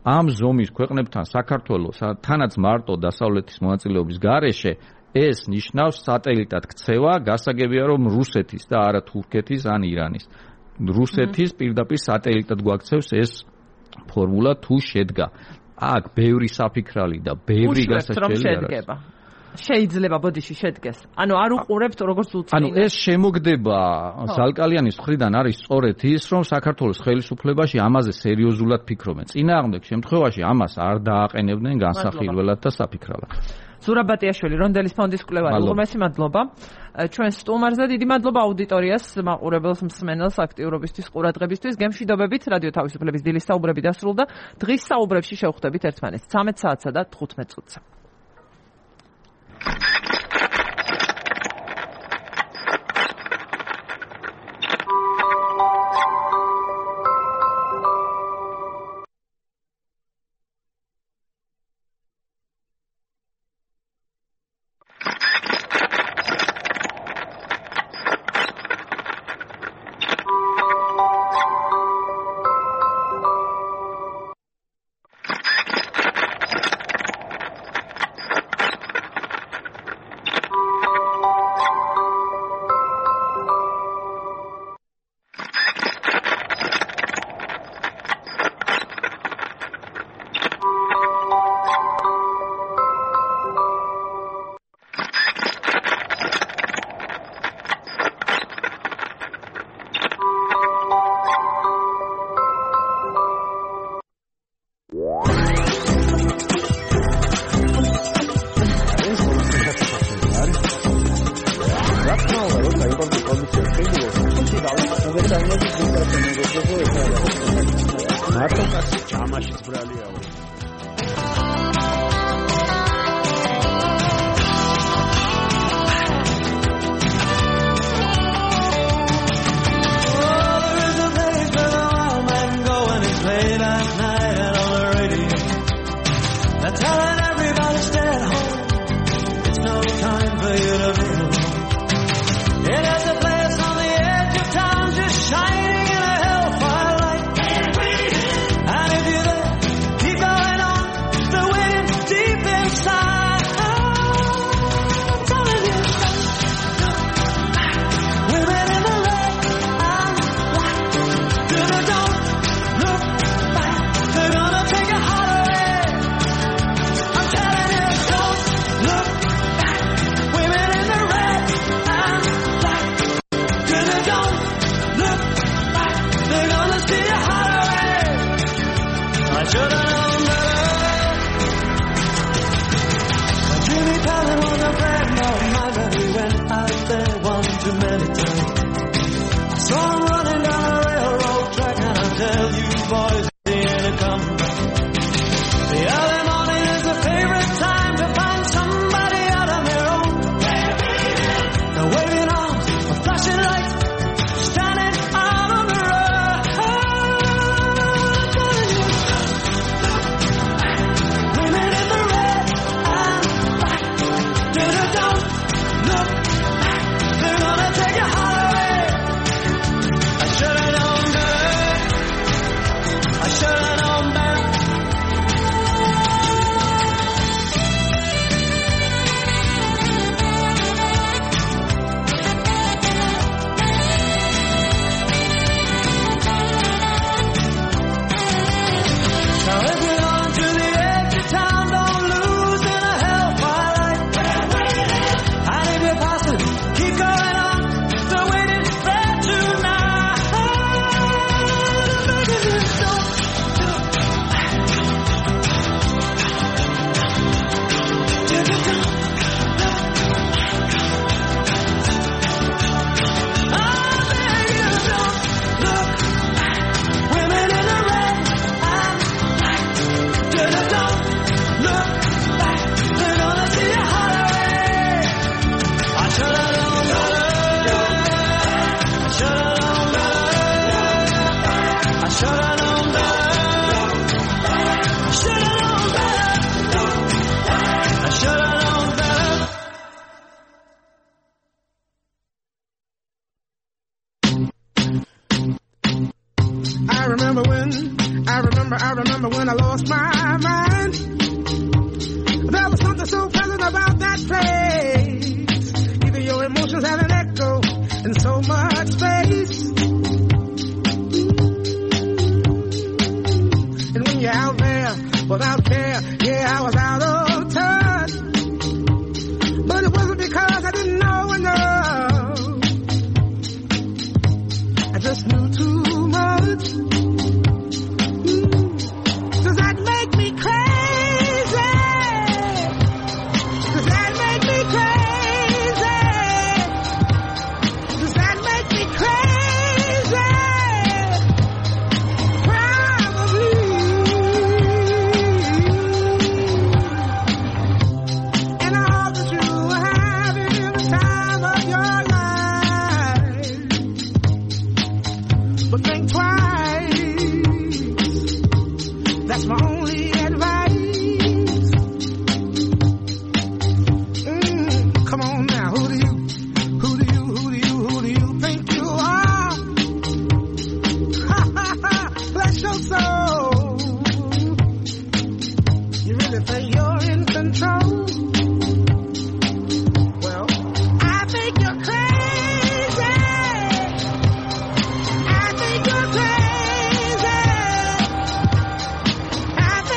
ამ ზომის ქვეყნებთან საქართველოს თანაც მარტო დასავლეთის მონაწილეობის გარეშე ეს ნიშნავს სატელიტად ქცევა, გასაგებია რომ რუსეთის და არა თურქეთის ან ირანის. რუსეთის პირდაპირ სატელიტად გვაქცევს ეს ფორმულა თუ შედგა. აქ ბევრი საფიქრალი და ბევრი გასაჩვენებელი შედგება. შეიძლება ბოდიში შედგეს. ანუ არ უყურებთ როგორც უცხო. ანუ ეს შემოგდება ზალკალიანის მხრიდან არის სწორედ ის, რომ საქართველოს ხელისუფლებაში ამაზე სერიოზულად ფიქრობენ. წინააღმდეგ შემთხვევაში ამას არ დააყენებდნენ განსახილველად და საფიქრალად. ზურაბატიაშვილი, რონდელის ფონდის მკვლევარი, უღრმესი მადლობა. ჩვენ სტუმარზე დიდი მადლობა აუდიტორიას, მაყურებელს, მსმენელს აქტიურობისთვის, ყურადღებისთვის. გემშვიდობებით, რადიო თავისუფლების დილის საუბრები დასრულდა. დღის საუბრებში შევხვდებით ერთმანეთს 13 საათსა და 15 წუთზე. მარტო ჩამაშიც ბრალიაო Telling everybody stay at home. It's no time for you to be alone. It is a place on the edge of town, just shining in a hellfire light. And if you're there, keep going on. The wind deep inside. I'm telling you, women in the red and white. Don't look back. They're gonna take your heart away. Too many times I saw him running down a railroad track, and I tell you boys, he ain't a coming back. The early morning is a favorite time to find somebody out on their own. They're waving arms, with flashing lights, standing out on the road. Women in the red and black, don't look. They're gonna take your heart away. I should've known better. I should've known better. Now if you're going to the edge of town, don't lose in a hellfire light. And if you're passing, keep going on. The waiting there tonight. Women in the red and black. Don't look back. They're gonna see your heart away. I should've known better. I should've known better. I should've known better. I should've known better. I should've known better. I remember when I lost my mind. There was something so pleasant about that place. Even your emotions have an echo in so much space. And when you're out there without care, yeah, I was out of touch. But it wasn't because I didn't know enough. I just knew too much. Does that make me crazy? Does that make me crazy? Does that make me crazy? Probably. And I hope that you are having the time of your life. But think twice. That's my only advice. Come on now, who do you think you are? Bless your soul. You really think you're in control? Well, I think you're crazy. I think you're crazy. I think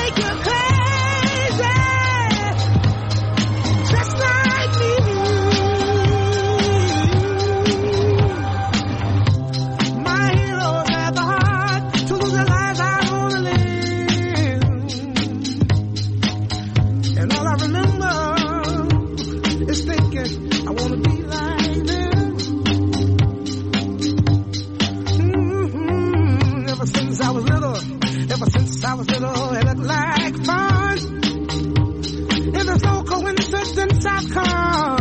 I was little, it looked like fun. It's a so coincidence I've come.